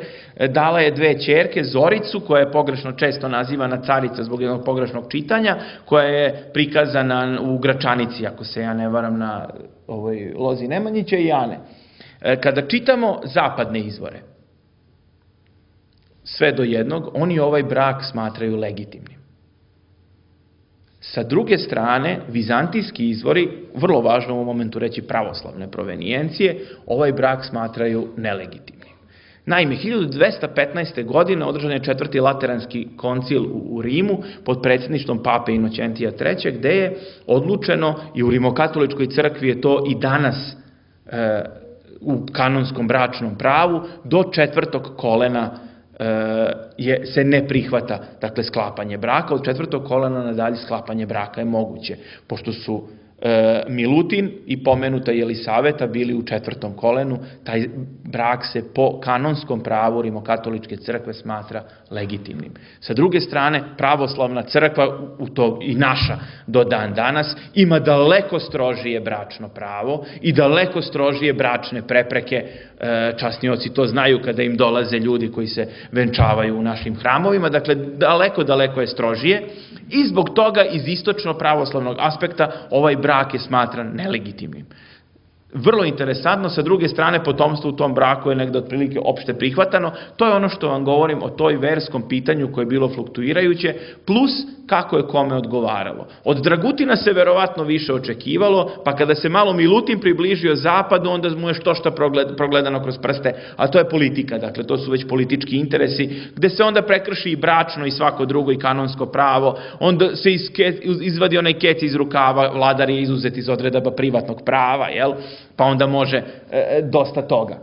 Dala je dve ćerke, Zoricu, koja je pogrešno često nazivana carica zbog jednog pogrešnog čitanja, koja je prikazana u Gračanici, ako se ja ne varam, na ovoj lozi Nemanjića, i Ane. Kada čitamo zapadne izvore, sve do jednog, oni ovaj brak smatraju legitimnim. Sa druge strane, vizantijski izvori, vrlo važno u ovom momentu reći pravoslavne provenijencije, ovaj brak smatraju nelegitimnim. Naime, 1215. godine održan je četvrti lateranski koncil u Rimu pod predsjedništvom pape Inoćentija III, gde je odlučeno, i u Rimokatoličkoj crkvi je to i danas u kanonskom bračnom pravu, do četvrtog kolena se ne prihvata, dakle, sklapanje braka. Od četvrtog kolena nadalje sklapanje braka je moguće, pošto su Milutin i pomenuta Jelisaveta bili u četvrtom kolenu. Taj brak se po kanonskom pravu Rimokatoličke crkve smatra legitimnim. Sa druge strane, pravoslavna crkva, i naša do dan danas, ima daleko strožije bračno pravo i daleko strožije bračne prepreke. Časnioci to znaju kada im dolaze ljudi koji se venčavaju u našim hramovima. Dakle, daleko je strožije i zbog toga iz istočno pravoslavnog aspekta ovaj brak je smatran nelegitimnim. Vrlo interesantno, sa druge strane potomstvo u tom braku je negde otprilike opšte prihvatano, to je ono što vam govorim o toj verskom pitanju koje je bilo fluktuirajuće, plus kako je kome odgovaralo. Od Dragutina se verovatno više očekivalo, pa kada se malo Milutin približio zapadu, onda mu je što progledano kroz prste, a to je politika, dakle to su već politički interesi, gde se onda prekrši i bračno i svako drugo i kanonsko pravo, onda se izvadi onaj kec iz rukava, vladar je izuzet iz odredaba privatnog prava, jel? Pa onda može dosta toga.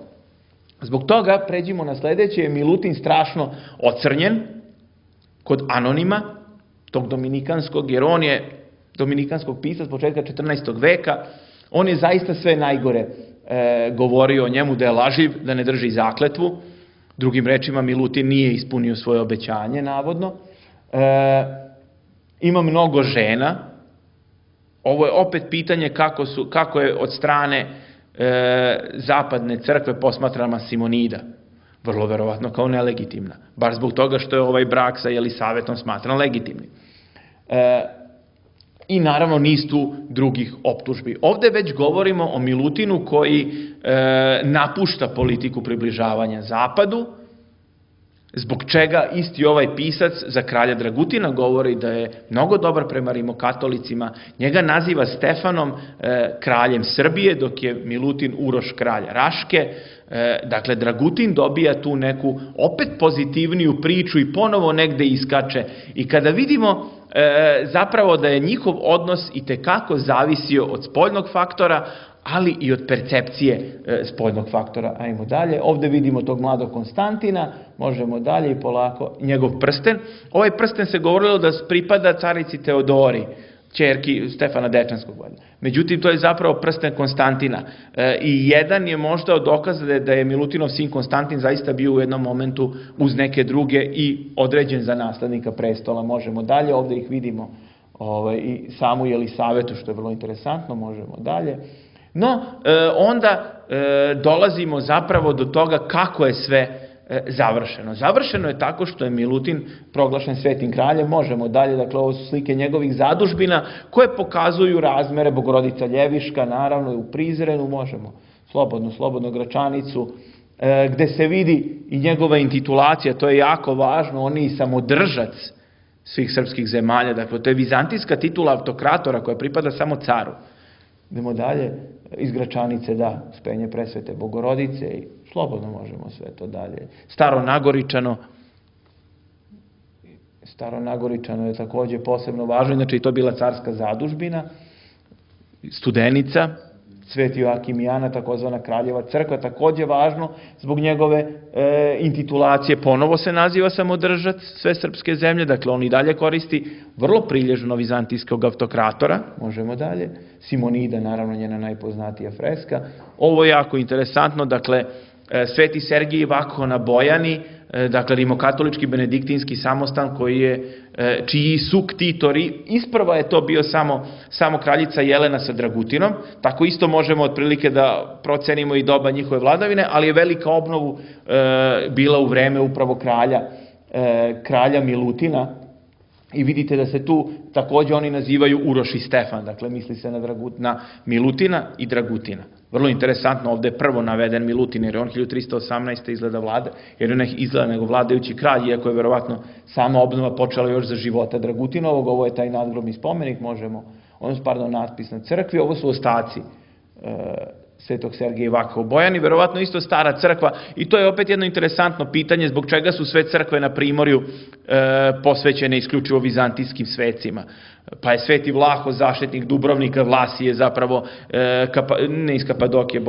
Zbog toga pređimo na sledeće, je Milutin strašno ocrnjen kod Anonima, tog dominikanskog, jer on je dominikanskog pisac početka 14. veka, on je zaista sve najgore govorio o njemu, da je laživ, da ne drži zakletvu, drugim rečima Milutin nije ispunio svoje obećanje, navodno, ima mnogo žena, ovo je opet pitanje kako je od strane zapadne crkve posmatrana Simonida. Vrlo verovatno kao nelegitimna. Bar zbog toga što je ovaj brak sa Jelisavetom smatran legitimnim. I naravno niz tu drugih optužbi. Ovde već govorimo o Milutinu koji napušta politiku približavanja zapadu, zbog čega isti ovaj pisac za kralja Dragutina govori da je mnogo dobar prema rimokatolicima, njega naziva Stefanom kraljem Srbije, dok je Milutin Uroš kralj Raške. Dakle, Dragutin dobija tu neku opet pozitivniju priču i ponovo negde iskače. I kada vidimo zapravo da je njihov odnos i tekako zavisio od spoljnog faktora, ali i od percepcije spoljnog faktora. Ajmo dalje. Ovde vidimo tog mladog Konstantina, možemo dalje i polako, njegov prsten. Ovaj prsten se govorilo da pripada carici Teodori, ćerki Stefana Dečanskog. Međutim, to je zapravo prsten Konstantina. I jedan je možda od dokaza da je Milutinov sin Konstantin zaista bio u jednom momentu uz neke druge i određen za naslednika prestola. Možemo dalje, ovde ih vidimo i samu Jelisavetu, što je vrlo interesantno, možemo dalje. No, onda dolazimo zapravo do toga kako je sve završeno. Završeno je tako što je Milutin proglašen svetim kraljem, možemo dalje, dakle ovo su slike njegovih zadužbina koje pokazuju razmere, Bogorodica Ljeviška, naravno i u Prizrenu, možemo slobodno Gračanicu, gde se vidi i njegova intitulacija, to je jako važno, on je i samodržac svih srpskih zemalja, dakle to je vizantijska titula autokratora koja pripada samo caru. Idemo dalje, iz Gračanice, da, Uspenje presvete Bogorodice i slobodno možemo sve to dalje. Staro Nagoričano je takođe posebno važno, inače i to bila carska zadužbina, Studenica, Sveti Joakim i Ana, takozvana Kraljeva crkva, takođe važno zbog njegove intitulacije, ponovo se naziva samodržac sve srpske zemlje, dakle on i dalje koristi vrlo prilježno vizantijskog autokratora, možemo dalje, Simonida, naravno njena najpoznatija freska. Ovo je jako interesantno, dakle Sveti Sergij Vakho na Bojani, dakle rimokatolički benediktinski samostan čiji su ktitori, isprva je to bio samo kraljica Jelena sa Dragutinom, tako isto možemo otprilike da procenimo i doba njihove vladavine, ali je velika obnovu bila u vreme upravo kralja Milutina i vidite da se tu takođe oni nazivaju Uroš i Stefan, dakle misli se na Milutina i Dragutina. Vrlo interesantno, ovde je prvo naveden Milutin, jer je on 1318. izgleda nego vladajući kralj, iako je verovatno sama obnova počela još za života Dragutinovog, ovo je taj nadgrobni spomenik, natpis na crkvi, ovo su ostaci Svetog Sergeja Vakha u Bojani, verovatno isto stara crkva, i to je opet jedno interesantno pitanje zbog čega su sve crkve na Primorju posvećene isključivo vizantijskim svecima. Pa je Sveti Vlaho, zaštitnik Dubrovnika, Vlasije zapravo, ne iz Kapadokije,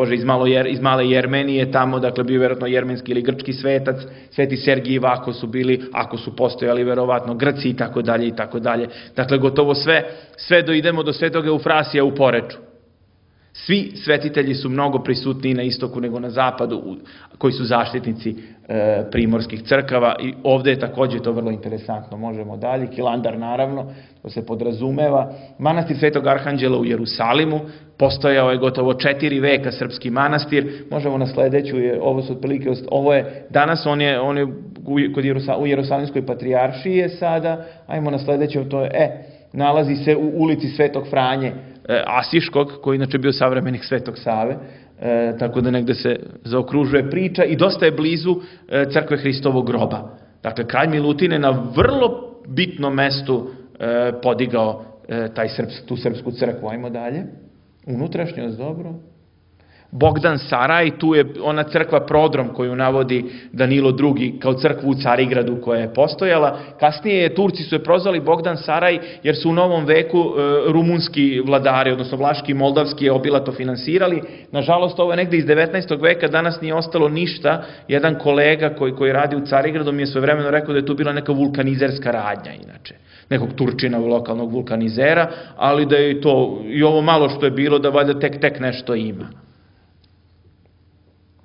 iz Male Jermenije, tamo, dakle, bio verovatno jermenski ili grčki svetac, Sveti Sergij i Vakho su bili, ako su postojali, verovatno Grci i tako dalje i tako dalje. Dakle, gotovo sve doidemo do Svetog Eufrasija u Poreču. Svi svetitelji su mnogo prisutniji na istoku nego na zapadu, koji su zaštitnici primorskih crkava, i ovde je takođe to vrlo interesantno. Možemo dalje, Hilandar naravno, to se podrazumeva. Manastir Svetog Arhanđela u Jerusalimu, postojao je gotovo 4 veka srpski manastir. Možemo na sledeću, danas on je u Jerusalimskoj patrijaršiji je sada, ajmo na sledeću, to je, nalazi se u ulici Svetog Franje, Asiškog, koji inače bio savremenik Svetog Save, tako da negde se zaokružuje priča i dosta je blizu crkve Hristovog groba. Dakle, kralj Milutin je na vrlo bitnom mestu podigao tu srpsku crkvu. Ajmo dalje. Unutrašnjost, dobro. Bogdan Saraj, tu je ona crkva Prodrom koju navodi Danilo II kao crkvu u Carigradu koja je postojala. Kasnije Turci su je prozvali Bogdan Saraj jer su u novom veku rumunski vladari, odnosno vlaški i moldavski je obilato finansirali. Nažalost, ovo je negde iz 19. veka, danas nije ostalo ništa. Jedan kolega koji radi u Carigradu mi je svojevremeno rekao da je tu bila neka vulkanizerska radnja, inače. Nekog Turčina, lokalnog vulkanizera, ali da je to, i ovo malo što je bilo, da valjda tek nešto ima.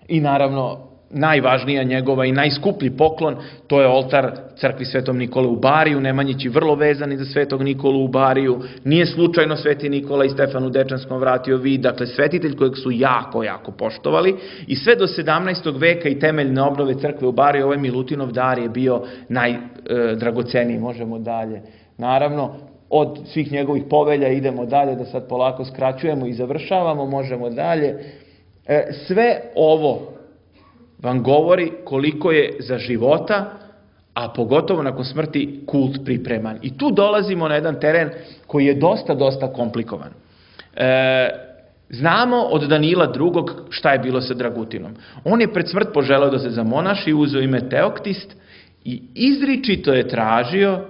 I naravno, najvažnija njegova i najskuplji poklon, to je oltar crkvi Svetom Nikole u Bariju, Nemanjići vrlo vezani za Svetog Nikolu u Bariju, nije slučajno Sveti Nikola i Stefanu Dečanskom vratio vid, dakle svetitelj kojeg su jako poštovali i sve do 17. veka i temeljne obnove crkve u Bariju, ovaj Milutinov dar je bio najdragoceniji, možemo dalje. Naravno, od svih njegovih povelja idemo dalje, da sad polako skraćujemo i završavamo, možemo dalje. Sve ovo vam govori koliko je za života, a pogotovo nakon smrti, kult pripreman. I tu dolazimo na jedan teren koji je dosta komplikovan. Znamo od Danila II. Šta je bilo sa Dragutinom. On je pred smrt poželeo da se zamonaši, uzeo ime Teoktist i izričito je tražio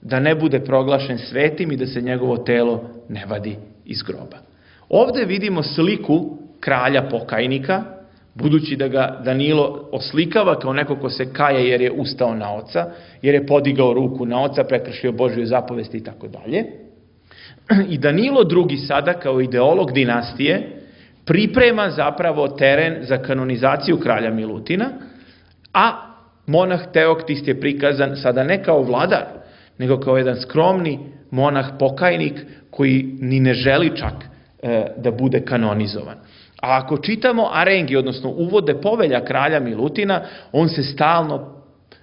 da ne bude proglašen svetim i da se njegovo telo ne vadi iz groba. Ovde vidimo sliku kralja pokajnika, budući da ga Danilo oslikava kao neko ko se kaje jer je ustao na oca, jer je podigao ruku na oca, prekršio Božju zapovest i tako dalje. I Danilo II. Sada kao ideolog dinastije priprema zapravo teren za kanonizaciju kralja Milutina, a monah Teoktist je prikazan sada ne kao vladar, nego kao jedan skromni monah pokajnik koji ni ne želi čak da bude kanonizovan. A ako čitamo arengi, odnosno uvode povelja kralja Milutina, on se stalno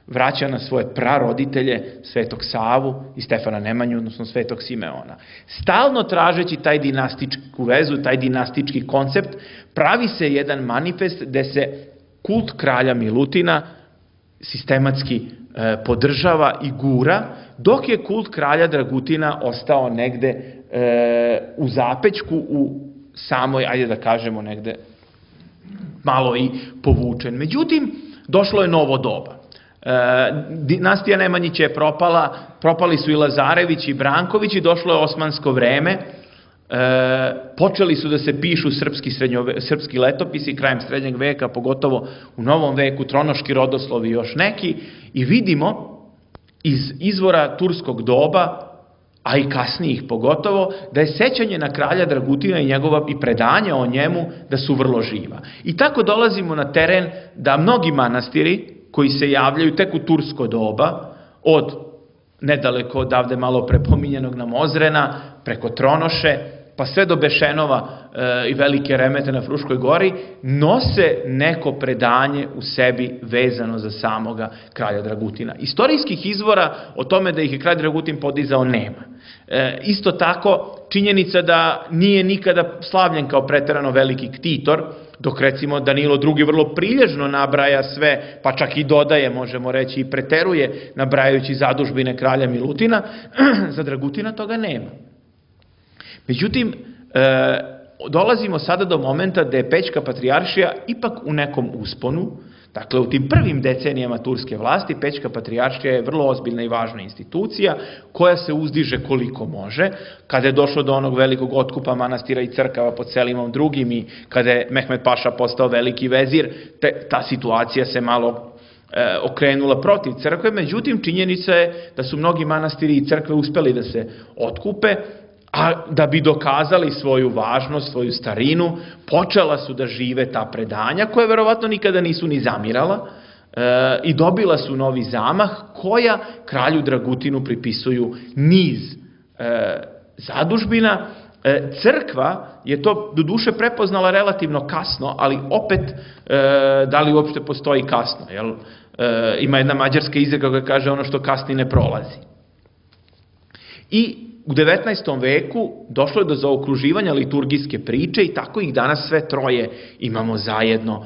vraća na svoje praroditelje, Svetog Savu i Stefana Nemanju, odnosno Svetog Simeona. Stalno tražeći taj dinastičku vezu, taj dinastički koncept, pravi se jedan manifest gde se kult kralja Milutina sistematski podržava i gura, dok je kult kralja Dragutina ostao negde u zapećku, u samoj, ajde da kažemo negde, malo i povučen. Međutim, došlo je novo doba. Dinastija Nemanjića je propala, propali su i Lazarević i Branković i došlo je osmansko vreme. Počeli su da se pišu srpski letopisi krajem srednjeg veka, pogotovo u novom veku, tronoški rodoslovi i još neki, i vidimo iz izvora turskog doba, a i kasnijih pogotovo, da je sećanje na kralja Dragutina i njegova i predanja o njemu da su vrlo živa. I tako dolazimo na teren da mnogi manastiri koji se javljaju tek u tursko doba, od nedaleko odavde malo prepominjenog nam Ozrena, preko Tronoše, pa sve do Bešenova i Velike Remete na Fruškoj gori, nose neko predanje u sebi vezano za samoga kralja Dragutina. Istorijskih izvora o tome da ih je kralj Dragutin podizao nema. Isto tako, činjenica da nije nikada slavljen kao preterano veliki ktitor, dok recimo Danilo II. Vrlo prilježno nabraja sve, pa čak i dodaje, možemo reći, i preteruje, nabrajajući zadužbine kralja Milutina, za Dragutina toga nema. Međutim, dolazimo sada do momenta da je Pećka patrijaršija ipak u nekom usponu. Dakle, u tim prvim decenijama turske vlasti Pećka patrijaršija je vrlo ozbiljna i važna institucija koja se uzdiže koliko može. Kada je došlo do onog velikog otkupa manastira i crkava pod Selimom II. I kada je Mehmed Paša postao veliki vezir, ta situacija se malo okrenula protiv crkve. Međutim, činjenica je da su mnogi manastiri i crkve uspeli da se otkupe, a da bi dokazali svoju važnost, svoju starinu, počela su da žive ta predanja, koje verovatno nikada nisu ni zamirala, i dobila su novi zamah, koja kralju Dragutinu pripisuju niz zadužbina. Crkva je to do duše prepoznala relativno kasno, ali opet, da li uopšte postoji kasno? Ima jedna mađarska izreka koja kaže ono što kasni ne prolazi. I U 19. veku došlo je do zaokruživanja liturgijske priče i tako ih danas sve troje imamo zajedno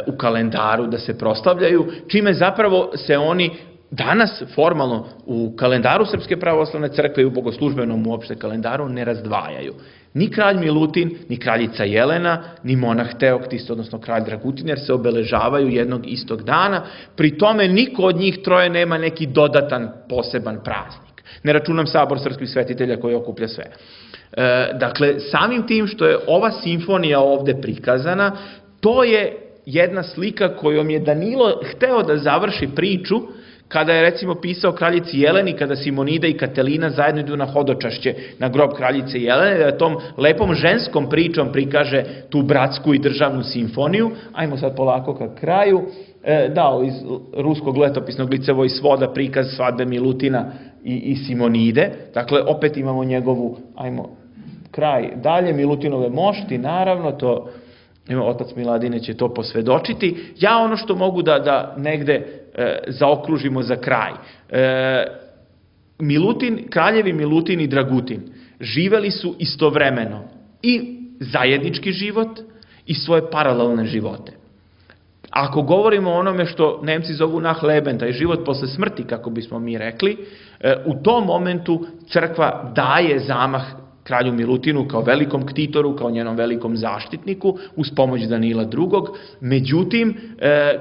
u kalendaru da se proslavljaju, čime zapravo se oni danas formalno u kalendaru Srpske pravoslavne crkve i u bogoslužbenom uopšte kalendaru ne razdvajaju. Ni kralj Milutin, ni kraljica Jelena, ni monah Teoktis, odnosno kralj Dragutin, jer se obeležavaju jednog istog dana. Pri tome niko od njih troje nema neki dodatan poseban praznik. Ne računam sabor srpskih svetitelja koji okuplja sve. Dakle, samim tim što je ova simfonija ovde prikazana, to je jedna slika kojom je Danilo hteo da završi priču kada je recimo pisao kraljici Jeleni, kada Simonida i Katelina zajedno idu na hodočašće na grob kraljice Jelene, da tom lepom ženskom pričom prikaže tu bratsku i državnu simfoniju. Ajmo sad polako ka kraju. Dao iz ruskog letopisnog licevoj svoda prikaz svadbe Milutina i Simonide. Dakle, opet imamo njegovu, ajmo, kraj dalje, Milutinove mošti, naravno, to otac Miladine će to posvedočiti. Ja ono što mogu da negde zaokružimo za kraj. Kraljevi Milutin i Dragutin živeli su istovremeno i zajednički život i svoje paralelne živote. Ako govorimo o onome što Nemci zovu Nachleben, taj život posle smrti, kako bismo mi rekli, u tom momentu crkva daje zamah kralju Milutinu kao velikom ktitoru, kao njenom velikom zaštitniku, uz pomoć Danila II. Međutim,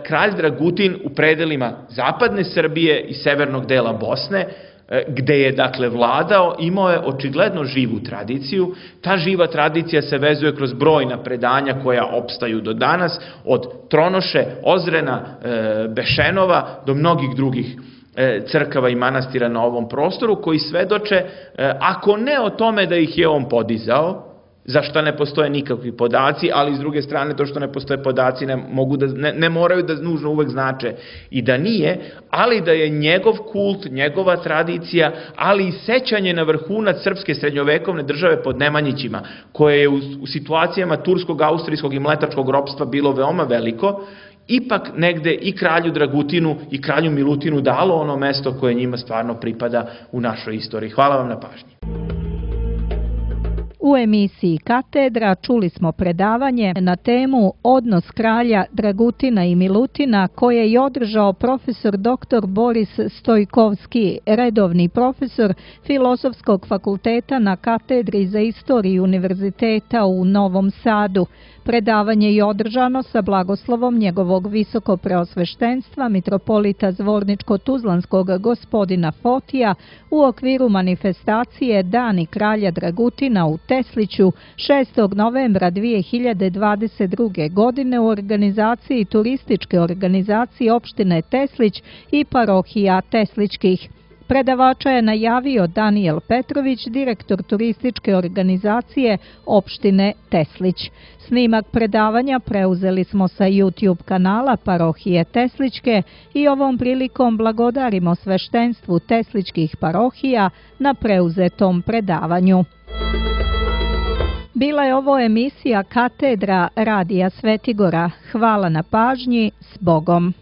kralj Dragutin u predelima zapadne Srbije i severnog dela Bosne, gde je dakle vladao, imao je očigledno živu tradiciju. Ta živa tradicija se vezuje kroz brojna predanja koja opstaju do danas, od Tronoše, Ozrena, Bešenova do mnogih drugih crkava i manastira na ovom prostoru, koji svedoče, ako ne o tome da ih je on podizao, za što ne postoje nikakvi podaci, ali s druge strane to što ne postoje podaci ne moraju da nužno uvek znače i da nije, ali da je njegov kult, njegova tradicija, ali i sećanje na vrhunac srpske srednjovekovne države pod Nemanjićima, koje je u situacijama turskog, austrijskog i mletačkog ropstva bilo veoma veliko, ipak negde i kralju Dragutinu i kralju Milutinu dalo ono mesto koje njima stvarno pripada u našoj istoriji. Hvala vam na pažnji. U emisiji Katedra čuli smo predavanje na temu Odnos kralja Dragutina i Milutina koje je održao profesor dr. Boris Stojkovski, redovni profesor Filozofskog fakulteta na Katedri za istoriju Univerziteta u Novom Sadu. Predavanje je održano sa blagoslovom njegovog visokopreosveštenstva mitropolita Zvorničko-Tuzlanskog gospodina Fotija u okviru manifestacije Dani kralja Dragutina u Tesliću 6. novembra 2022. godine u organizaciji turističke organizacije opštine Teslić i parohija Teslićkih. Predavača je najavio Danijel Petrović, direktor turističke organizacije opštine Teslić. Snimak predavanja preuzeli smo sa YouTube kanala parohije Teslićke i ovom prilikom blagodarimo sveštenstvu Teslićkih parohija na preuzetom predavanju. Bila je ovo emisija Katedra Radija Svetigora. Hvala na pažnji, s Bogom.